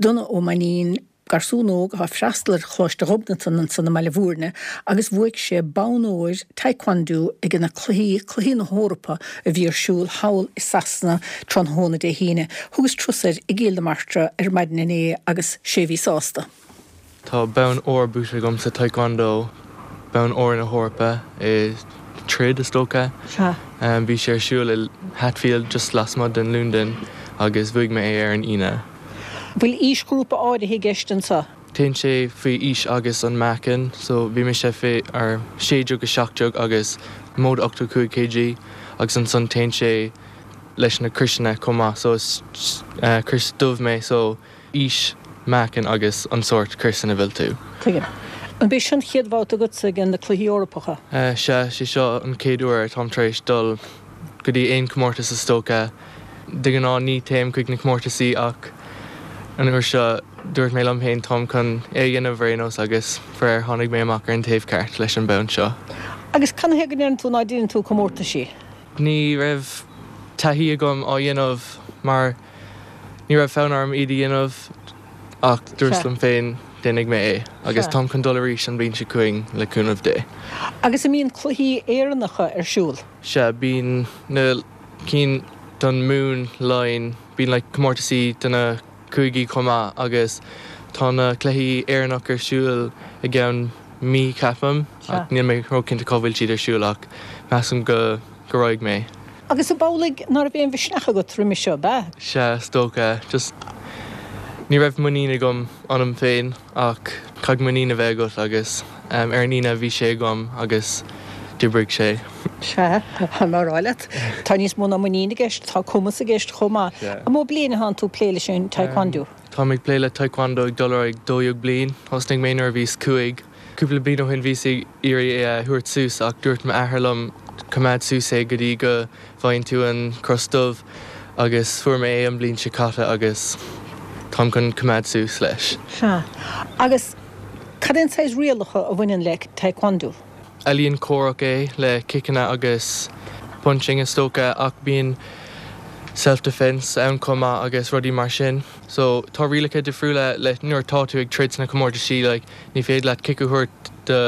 Donagh Ó Mainnín, garsún óg atá ag freastal ar Choláiste Ghobnatan ansan i mBaile Bhúirne agus bhuaigh sé bonn óir Taekwondo ag na cluichí, Cluichí na hEorpa a bhí ar siúl thall i Sasana tráthnóna Dé hAoine. Thugas turas air i gCill na Martra ar maidin inné agus sé a bhí sásta. Tá bonn óir buaite agam sa Taekwondo, bonn óir na hEorpa i troid is dócha. Sea. Bhí sé ar siúl i Hatfield just lasmuigh den Londain agus bhuaigh mé é ar an Aoine. Bhfuil aoisghrúpa áirithe i gceist anseo? Téann sé faoi aois agus an meáchan, so bhí mise fé ar 16 go 17 agus mó de 85 kg agus ansan téann sé leis na criosanna chomh maith so is crios dubh mé so aois, meáchan agus an sórt crios ina bhfuil tú. Tuigim. An b'é seo an chéad bhabhta agatsa ag na Cluichí Eorpacha? Sea, sé seo an chéad uair atáim tar éis dul go dtí aon chomórtas is dócha. De ghnáth ní théim chuig na comórtasaí ach an uair seo dúirt mé liom féin táim chun é a dhéanamh ar aon nós agus faraor tháinig mé amach ar an taobh ceart leis an bonn seo. Agus canathaobh go ndeireann tú ná déanann tú comórtaisí? Ní raibh taithí agam á dhéanamh mar Ní raibh fonn orm iad a dhéanamh ach dúirt liom féin déanfaidh mé é agus táim chun dul arís an bhliain seo chugainn le cúnamh Dé. Agus an mbíonn cluichí Éireannacha ar siúl? Sea, bíonn na cinn don Mumhan, Laighin, bíonn like comórtasaí do na cúigí chomh maith agus tá na cluichí Éireannach ar siúl i gceann mí ceapaim ach níl mé róchinnte cá bhfuil siad ar siúl ach measaim go go raghaidh mé. Agus ab amhlaidh ná raibh aon mhisneach agat roimis seo, ab ea? Sea, is dócha. Just, ní raibh muinín agam ionam féin ach caithfidh muinín a bheith agat agus ar an Aoine bhí sé agam agus d'oibrigh sé. Sea, tá mé a rá leat, tá níos mó ná muinín i gceist, tá cumas i gceist chomh maith. Sea. An mó bliain atánn tú ag plé leis an Taekwondo? Táim ag plé le Taekwondo ag dul ar aghaidh 12 bliain. Thosnaigh mé nuair a bhíos 5. Cúpla bliain ó shin bhíos ag iarraidh é a thabhairt suas ach dúirt m'athair liom coimeád suas é go dtí go bhfaigheann tú an cros dubh agus fuair mé é an bhliain seo caite agus táim chun coimeád suas leis. Sea. Agus cad é an saghas rialacha a bhaineann le Taekwondo? Ealaíon comhrac é le ciceanna agus punching is dócha ach bíonn self defence ann chomh maith agus rudaí mar sin. So tá rialacha difriúla le nuair atá tú ag troid sna comórtaisí like ní féidir leat cic a thabhairt do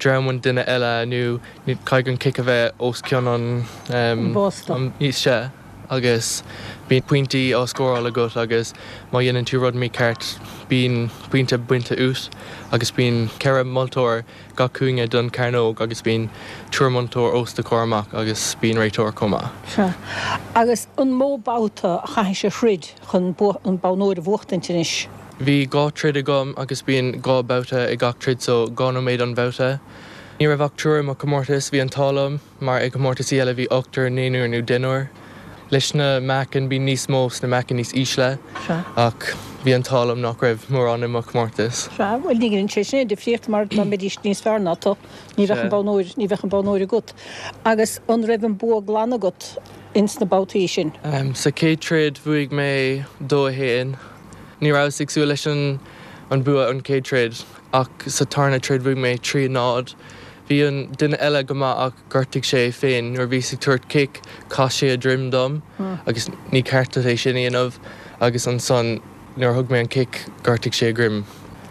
dhroim an duine eile nó caithfidh an cic a bheith os cionn an An bhásta. an sea agus bíonn pointí á scóráil agat agus má dhéanann tú rud mícheart bíonn pointe bainte uait agus bíonn ceithre moltóir gach cúinne don chearnóg agus bíonn triúr moltóir os do chomhair amach agus bíonn réiteoir chomh maith. Sea. Agus an mó babhta a chaithfidh sé throid chun an bonn óir a bhuachtaint anois? Bhí 2 troid agam agus bíonn 2 babhta i gach troid so 2 nóiméad an babhta. Ní raibh ach triúr i mo chomórtas, bhí an t-ádh liom mar i gcomórtasaí eile bhí ochtar, naonúr nó deichniúr. Leis na meáchain bíonn níos mó sna meáchain níos ísle ach bhí an t-ádh liom nach raibh mórán i mo chomórtas. Sea, bhuel ní dhéanann sé sin aon difríocht mar dá mbeidís níos fearr ná tú ní bheadh an bonn óir, ní bheadh an bonn óir agat. Agus an raibh an bua glan agat ins na babhtaí sin? Sa chéad troid bhuaigh mé 2 1. Ní rabhas ag súil leis an an bua an chéad troid ach sa tarna troid bhuaigh mé 3 0. Bhí an duine eile go maith ach ghortaigh sé é féin nuair a bhíos ag tabhairt cic chas sé a dhroim dom agus ní ceart duit é sin a dhéanamh agus ansan nuair a thug mé an cic ghortaigh sé a dhroim.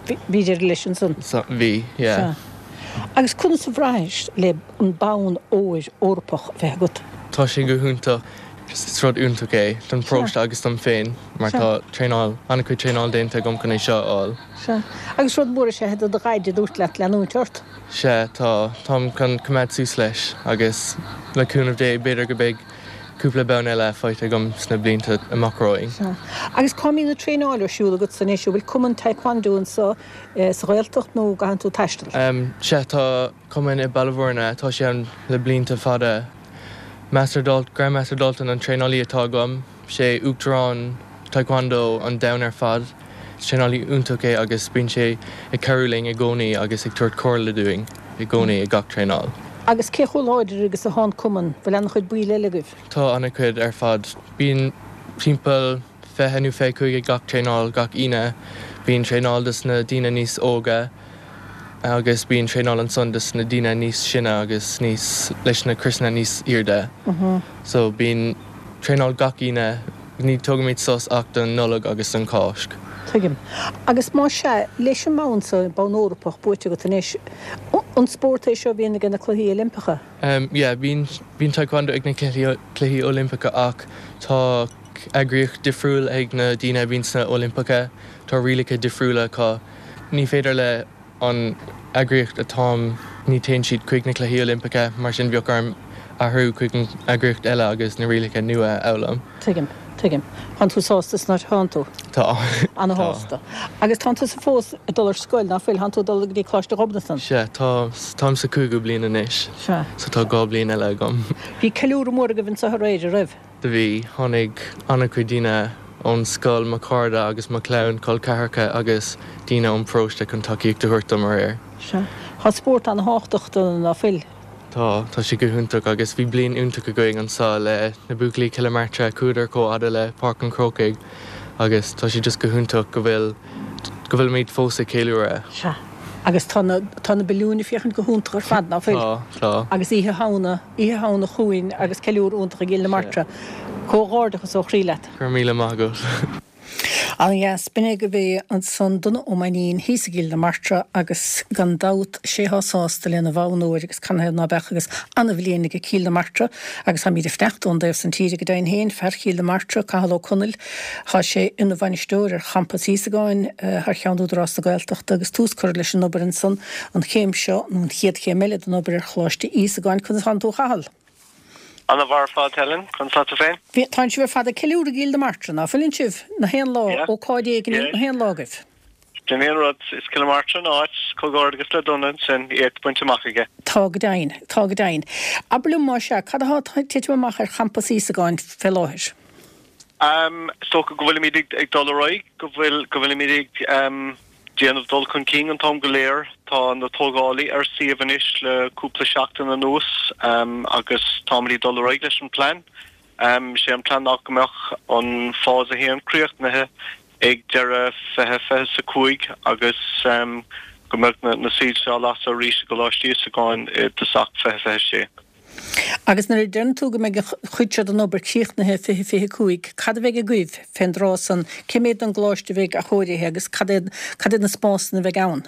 Bhí deireadh leis ansan? Bhí, yeah. Sea. Agus conas a bhraitheann le an bonn óir Eorpach a bheith agat? Tá sé go hiontach. Is rud iontach é don pharóiste agus dom féin mar tá traenáil, an-chuid traenáil déanta agam chun é seo a fháil. Sea. Agus rud mór is ea é do do dhaid a dúirt leat leanúint ort. Sea, tá. Táim chun coimeád suas leis agus le cúnamh Dé b'fhéidir go mbeidh cúpla bonn eile faighte agam sna blianta amach romhainn. Sea. Agus cá mbíonn an traenáil ar siúl agatsa anois? An bhfuil cumann Taekwondo anseo sa Ghaeltacht nó an gcaitheann tú taisteal? Sea, tá cumann i Baile Bhúirne, tá sé ann le blianta fada. Master Dal, Grandmaster Dalton an traenálaí atá agam, sé uachtarán Taekwondo an domhain ar fad. Is traenálaí iontach é agus bíonn sé ag cabhrú linn i gcónaí agus ag tabhairt comhairle dúinn i gcónaí ag gach traenáil. Agus cé chomh láidir agus atá an cumann? Bhfuil an-chuid baill eile agaibh? Tá an-chuid ar fad. Bíonn timpeall 20 nó 25 ag gach traenáil gach Aoine. Bíonn traenáil dos na daoine níos óga agus bíonn traenáil ansan dos na daoine níos sine agus níos, leis na criosanna níos airde. So bíonn traenáil gach Aoine, ní tógaimid sos ach don Nollaig agus don Cháisc. Tuigim. Agus más ea, leis an mbonn seo, bonn Eorpach buaite agat anois, an spórt é seo a bhíonn ag na Cluichí Oilimpeacha? Yeah, bíonn, bíonn Taekwondo ag na Cluichí Oilimpeacha ach tá eagraíocht difriúil ag na daoine a bhíonn sna Oilimpeacha, tá rialacha difriúla acu. Ní féidir le an eagraíocht atáim, ní téann siad chuig na Cluichí Oilimpeacha, mar sin bheadh orm athrú chuig an eagraíocht eile agus na rialacha nua a fhoghlaim. Tuigim, tuigim. Tánn tú sásta san áit atánn tú? Tá. Ana-shásta. Agus tánn tusa fós ag dul ar scoil, ná fuil? Tánn tú ag dul go dtí Coláiste Ghobnatan? Sea, tá. Táim sa cúigiú bliain anois. Sea. So tá 2 bliain eile agam. Bhí ceiliúradh mór agaibh anseo aréir, a raibh? Do bhí. Tháinig an-chuid daoine ón scoil, mo chairde agus mo chlann, col ceathracha agus daoine ón bparóiste chun tacaíocht a thabhairt dom aréir. Sea. Tá spórt an-thábhachtach dó, ná fuil? Tá. Tá sé go hiontach agus bhí bliain iontach againn anseo le na buachaillí Chill na Martra, chuadar chomh fhada le Páirc an Chrócaigh agus tá sé just go hiontach go bhfuil, go bhfuilimid fós ag ceiliúradh. Sea. Agus tá na, tá na balúin ag féachaint go hiontach ar fad, ná fuil? Tá, tá. Agus Oíche Shamhna, Oíche Shamhna chugainn agus ceiliúradh iontach i gCill na Martra. Comhghairdeachas ó chroí leat. Go raibh míle maith agat. An-dheas. B'in é agaibh é ansan, Donagh Ó Mainnín thíos i gCill na Martra agus gan dabht sé thá sásta lena bhonn óir agus canathaobh ná beadh agus an-bhliain aige Cill na Martra agus táimíd ag fanacht ón dtaobh san tíre go deimhin féin, fear Chill na Martra, Cathal Ó Conaill, thá sé ina bhainisteoir ar champas Íosagáin thar cheann Údarás na Gaeltachta agus tús curtha leis an obair ansan, an chéim seo nó an chéad chéim eile den obair ar Choláiste Íosagáin. Conas thánn tú a Chathail? Ana-mhaith ar fad, Helen. Conas tá tú féin? Bhí, tánn sibh ar fad ag ceiliúradh i gCill na Martra, ná fuileann sibh? Na haon lá, Yeah. ócáid éigin Yeah. na haon lá agaibh. Sin é an rud, is Cill na Martra an áit, comhghairdeachas le Donagh ansin, éacht bainte amach aige. Tá go deimhin, tá go deimhin. Abair liom, más ea, cad atá ag titim amach ar champas Íosagáin fé láthair? Is dócha go bhfuilimid ag dul ar aghaidh, go bhfuil, go bhfuilimid ag déanamh dul chun cinn an t-am go léir. Tá na tógálaí ar suíomh anois le cúpla seachtain anuas agus táimid ag dul ar aghaidh leis an bplean. Is é an plean ná go mbeadh an Phase 1 críochnaithe ag deireadh 2025 agus go mbeadh na soilse á lasadh arís i gColáiste Íosagáin i dtosach 2026. Agus nuair a deireann tú go mbeidh an chuid seo den obair críochnaithe i 2025, cad a bheidh agaibh fén dtráth san? Cé méad den gcoláiste a bheidh athchóirithe agus cad iad, cad iad na spásanna a bheidh ann?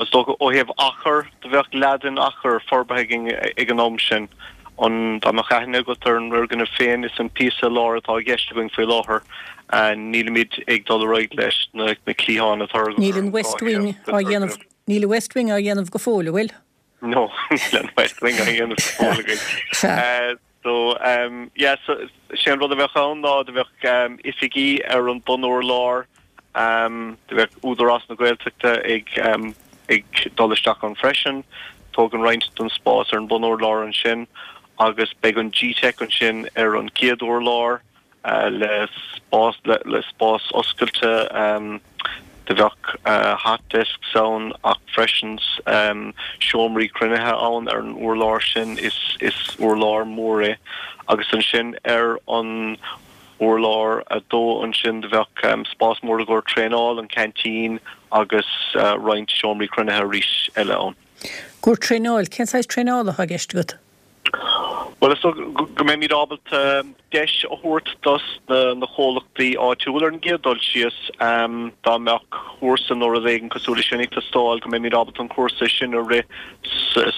Is dócha ó thaobh achar, do bheadh leath den achar forbartha againn ag an am sin. An, dá mbeadh aithne agat ar an bhfoirgneamh féin, is an píosa láir atá i gceist againn faoi láthair. Nílimid ag dul ar aghaidh leis na cliatháin atá ar an Níl an West Wing á dhéanamh, níl an West Wing á dhéanamh go fóill, an bhfuil? No, níl an West Wing á dhéanamh go fóill againn. So, yeah, so, sé an rud a bheadh ann ná do bheadh oifigí ar an bunurlár, do bheadh Údarás na Gaeltachta ag ag dul isteach ann freisin, tógann roinnt den spás ar an bunurlár ansin agus beidh an GTeic ansin ar an gcéad urlár. le spás le spás oscailte do bheadh hot desks ann ach freisin seomraí cruinnithe ann ar an urlár sin. Is is urlár mór é agus ansin ar an urlár 2 ansin do bheadh spás mór i gcomhair traenáil, an ceaintín agus roinnt seomraí cruinnithe arís eile ann. I gcomhair traenáil, cén saghas traenála atá i gceist agat? Bhuel, is dócha go mbeimid ábalta deis a thabhairt dos na comhlachtaí áitiúil ar an gcéad dul síos, dá mbeadh cúrsa nó rud éigin cosúil leis sin ag teastáil, go mbeimid ábalta an cúrsa sin a rith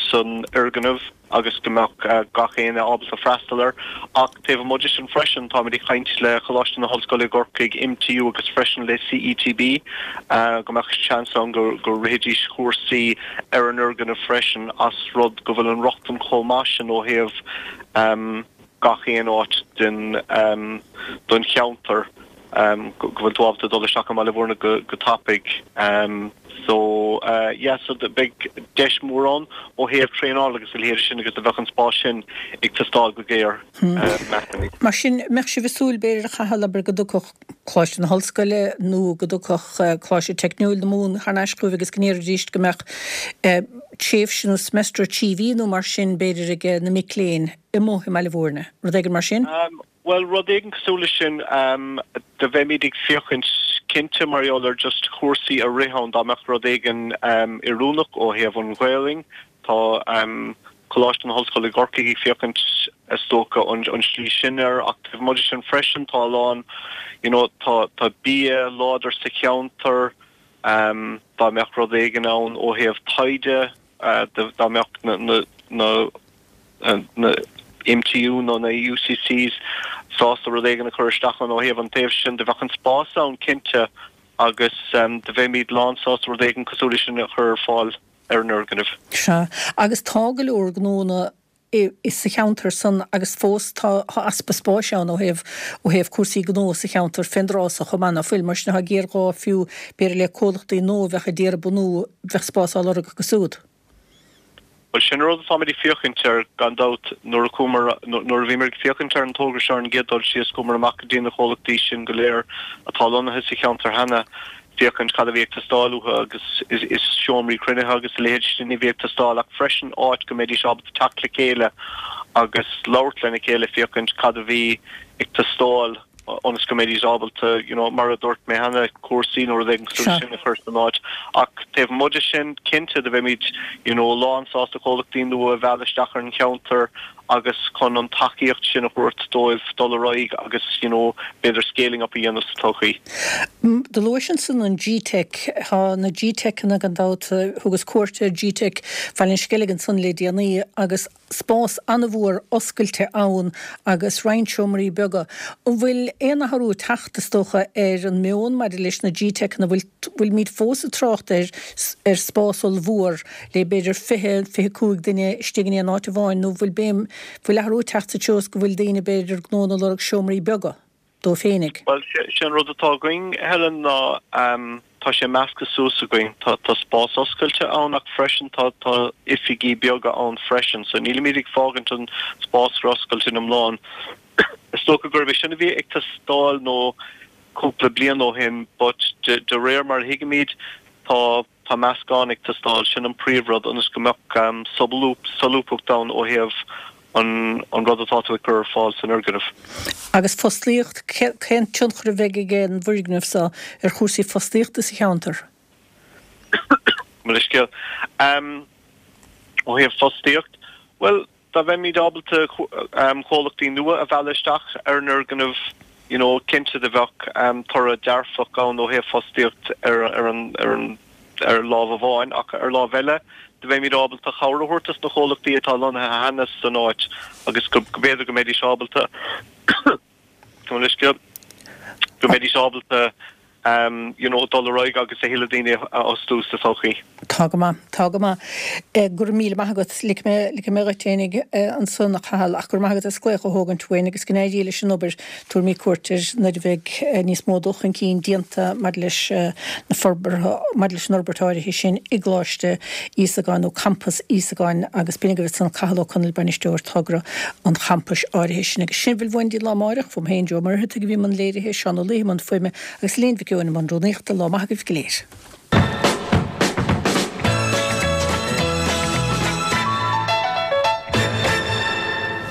san fhoirgneamh agus go mbeadh gach éinne ábalta freastal air. Ach taobh amuigh de sin freisin, táimid ag caint le Coláiste na hOllscoile i gCorcaigh, MTU agus freisin le CETB, go mbeadh seans ann go rithfidís cúrsaí ar an fhoirgneamh freisin as rud go bhfuil an rochtain chomh maith sin ó thaobh gach aon áit den den cheantar go bhfuil tú ábalta dul isteach i mBaile Bhúirne go go tapaidh. So yeah so beidh deis mór ann ó thaobh traenáil agus a leithéid sin agus do bheadh an spás sin ag teastáil go géar measaimid. Mar sin mbeadh sibh ag súil b'fhéidir a Chathail abair go dtugfadh Coláiste na hOllscoile nó go dtugfadh Coláiste Teicniúil na Mumhan thar n-ais chugaibh agus go ndéarfaidís go mbeadh tréimhse nó semester 3 mhí nó mar sin b'fhéidir ag na mic léinn amuigh i mBaile Bhúirne. Rud éigin mar sin? Bhuel, rud éigin cosúil leis sin. Do bheimid ag féachaint cinnte mar gheall ar just chúrsaí a rith ann dá mbeadh rud éigin oiriúnach ó thaobh an Ghaelainn. Tá Coláiste na hOllscoile i gCorcaigh ag féachaint, is dócha, an slí sin air ach taobh amuigh de sin freisin tá a lán, you know, tá tá bia láidir sa cheantar, dá mbeadh rud éigin ann ó thaobh taighde, dá mbeadh na na na na MTU nó na UCCs sásta rud éigin a chur isteach ann ó thaobh an taobh sin, do bheadh an spás ann cinnte. Agus do bheimíd lán sásta rud éigin cosúil leis sin a chur ar fáil ar an fhoirgneamh. Sea, agus tá go leor gnónna i sa cheantar san agus fós tá easpa spáis ann ó thaobh ó thaobh cúrsaí gnó sa cheantar fén dtráth so chomh maith, ná fuil? Mar sin tá géarghá fiú b'fhéidir le comhlachtaí nua a bheadh a d'iarraidh bunú, bheadh spás á lorg acu siúd. Bhuel, sin an rud atáimid ag féachaint air, gan dabht. Nuair a chuamar, nuair a bhíomar ag féachaint ar an togra seo ar an gcéad dul síos, chuamar amach go dtí na comhlachtaí sin go léir atá lonnaithe sa cheantar cheana, féachaint cad a bhí ag teastáil uathu agus is seomraí cruinnithe agus a leithéid sin a bhí ag teastáil ach freisin áit go mbeidís ábalta teacht le chéile agus labhairt lena chéile féachaint cad a bhí ag teastáil ionas go mbeidís ábalta, you know, mar a dúirt mé cheana, cúrsaí nó rud éigin cosúil leis sin a chur san áit. Ach taobh amuigh de sin, cinnte, do bheimid, you know, lán sásta comhlachtaí nua a mhealladh isteach ar an cheantar agus chun an tacaíocht sin a thabhairt dóibh dul ar aghaidh agus, you know, b'fhéidir scaling up a dhéanamh sa todhchaí. Do luais ansan an GTeic. Tá na GTeiceanna gan dabht, thugas cuairt ar GTeic Bhaile an Sceilg ansan le déanaí agus, spás an-mhór oscailte ann agus roinnt seomraí beaga. An bhfuil aon athrú ag teacht, is dócha, ar an meon maidir leis na GTeiceanna? Bhfuil, bhfuilimid fós ag trácht ar, ar spás ollmhór le b'fhéidir 20, 25 duine istigh in aon áit amháin nó bhfuil béim, bhfuil athrú ag teacht sa treo is go bhfuil daoine, b'fhéidir, gnónna ag lorg seomraí beaga? dóibh féinig. Bhuel, sé an rud atá againn, Helen, ná tá sé measctha suas againn. Tá tá spás oscailte ann ach freisin tá tá oifigí beaga ann freisin. So nílimid ag fágaint an spás ar oscailt in iomlán. Is dócha gurb é sin a bhí ag teastáil nó cúpla bliain ó shin but de de réir mar a thuigimid tá Tá meascán ag teastáil, sin an príomhrud, ionas go mbeadh solúbthacht ann ó thaobh an rud atá tú ag cur ar fáil san fhoirgneamh. Agus fostaíocht, cén tionchar a bheidh ag an bhfoirgneamh seo ar chúrsaí fostaíochta sa cheantar? Mo leithscéal. Ó thaobh fostaíocht, bhuel, Dá mbeimid ábalta comhlachtaí nua a mhealladh isteach ar an fhoirgneamh, you know, cinnte do bheadh toradh dearfach ann ó thaobh fostaíocht ar ar an ar an ar lámh amháin ach ar lámh eile do bheimid ábalta cabhair a thabhairt dos na comhlachtaí atá lonnaithe cheana san áit agus go b'fhéidir go mbeidís ábalta Mo leithscéal. Go mbeidís ábalta you know dul ar aghaidh agus a thuilleadh daoine a fhostú sa todhchaí. Tá go maith. Tá go maith. Go raibh míle maith agat. Ligfidh mé, ligfidh mé dhuit fhéinig ansan, a Chathail, ach go raibh maith agat as glaoch a thógaint uainn agus go n-éirí leis an obair. Tabharfaimid cuairt air nuair a bheidh níos mó dul chun cinn déanta maidir leis na forbartha, maidir leis an fhorbairt áirithe sin i gColáiste Íosagáin nó Campas Íosagáin agus b'in agaibh ansan Cathal Ó Conaill, Bainisteoir Togra an champais áirithe sin. Agus sin a bhfuil uainn go dtí lá amáireach, uaim féin, Joe Ó Muircheartaigh a bhí i mbun léirithe, Seán Ó Laoithe i mbun fuaime agus Elaine Mhic Eoin i mbun rúnaíochta. Lá maith agaibh go léir.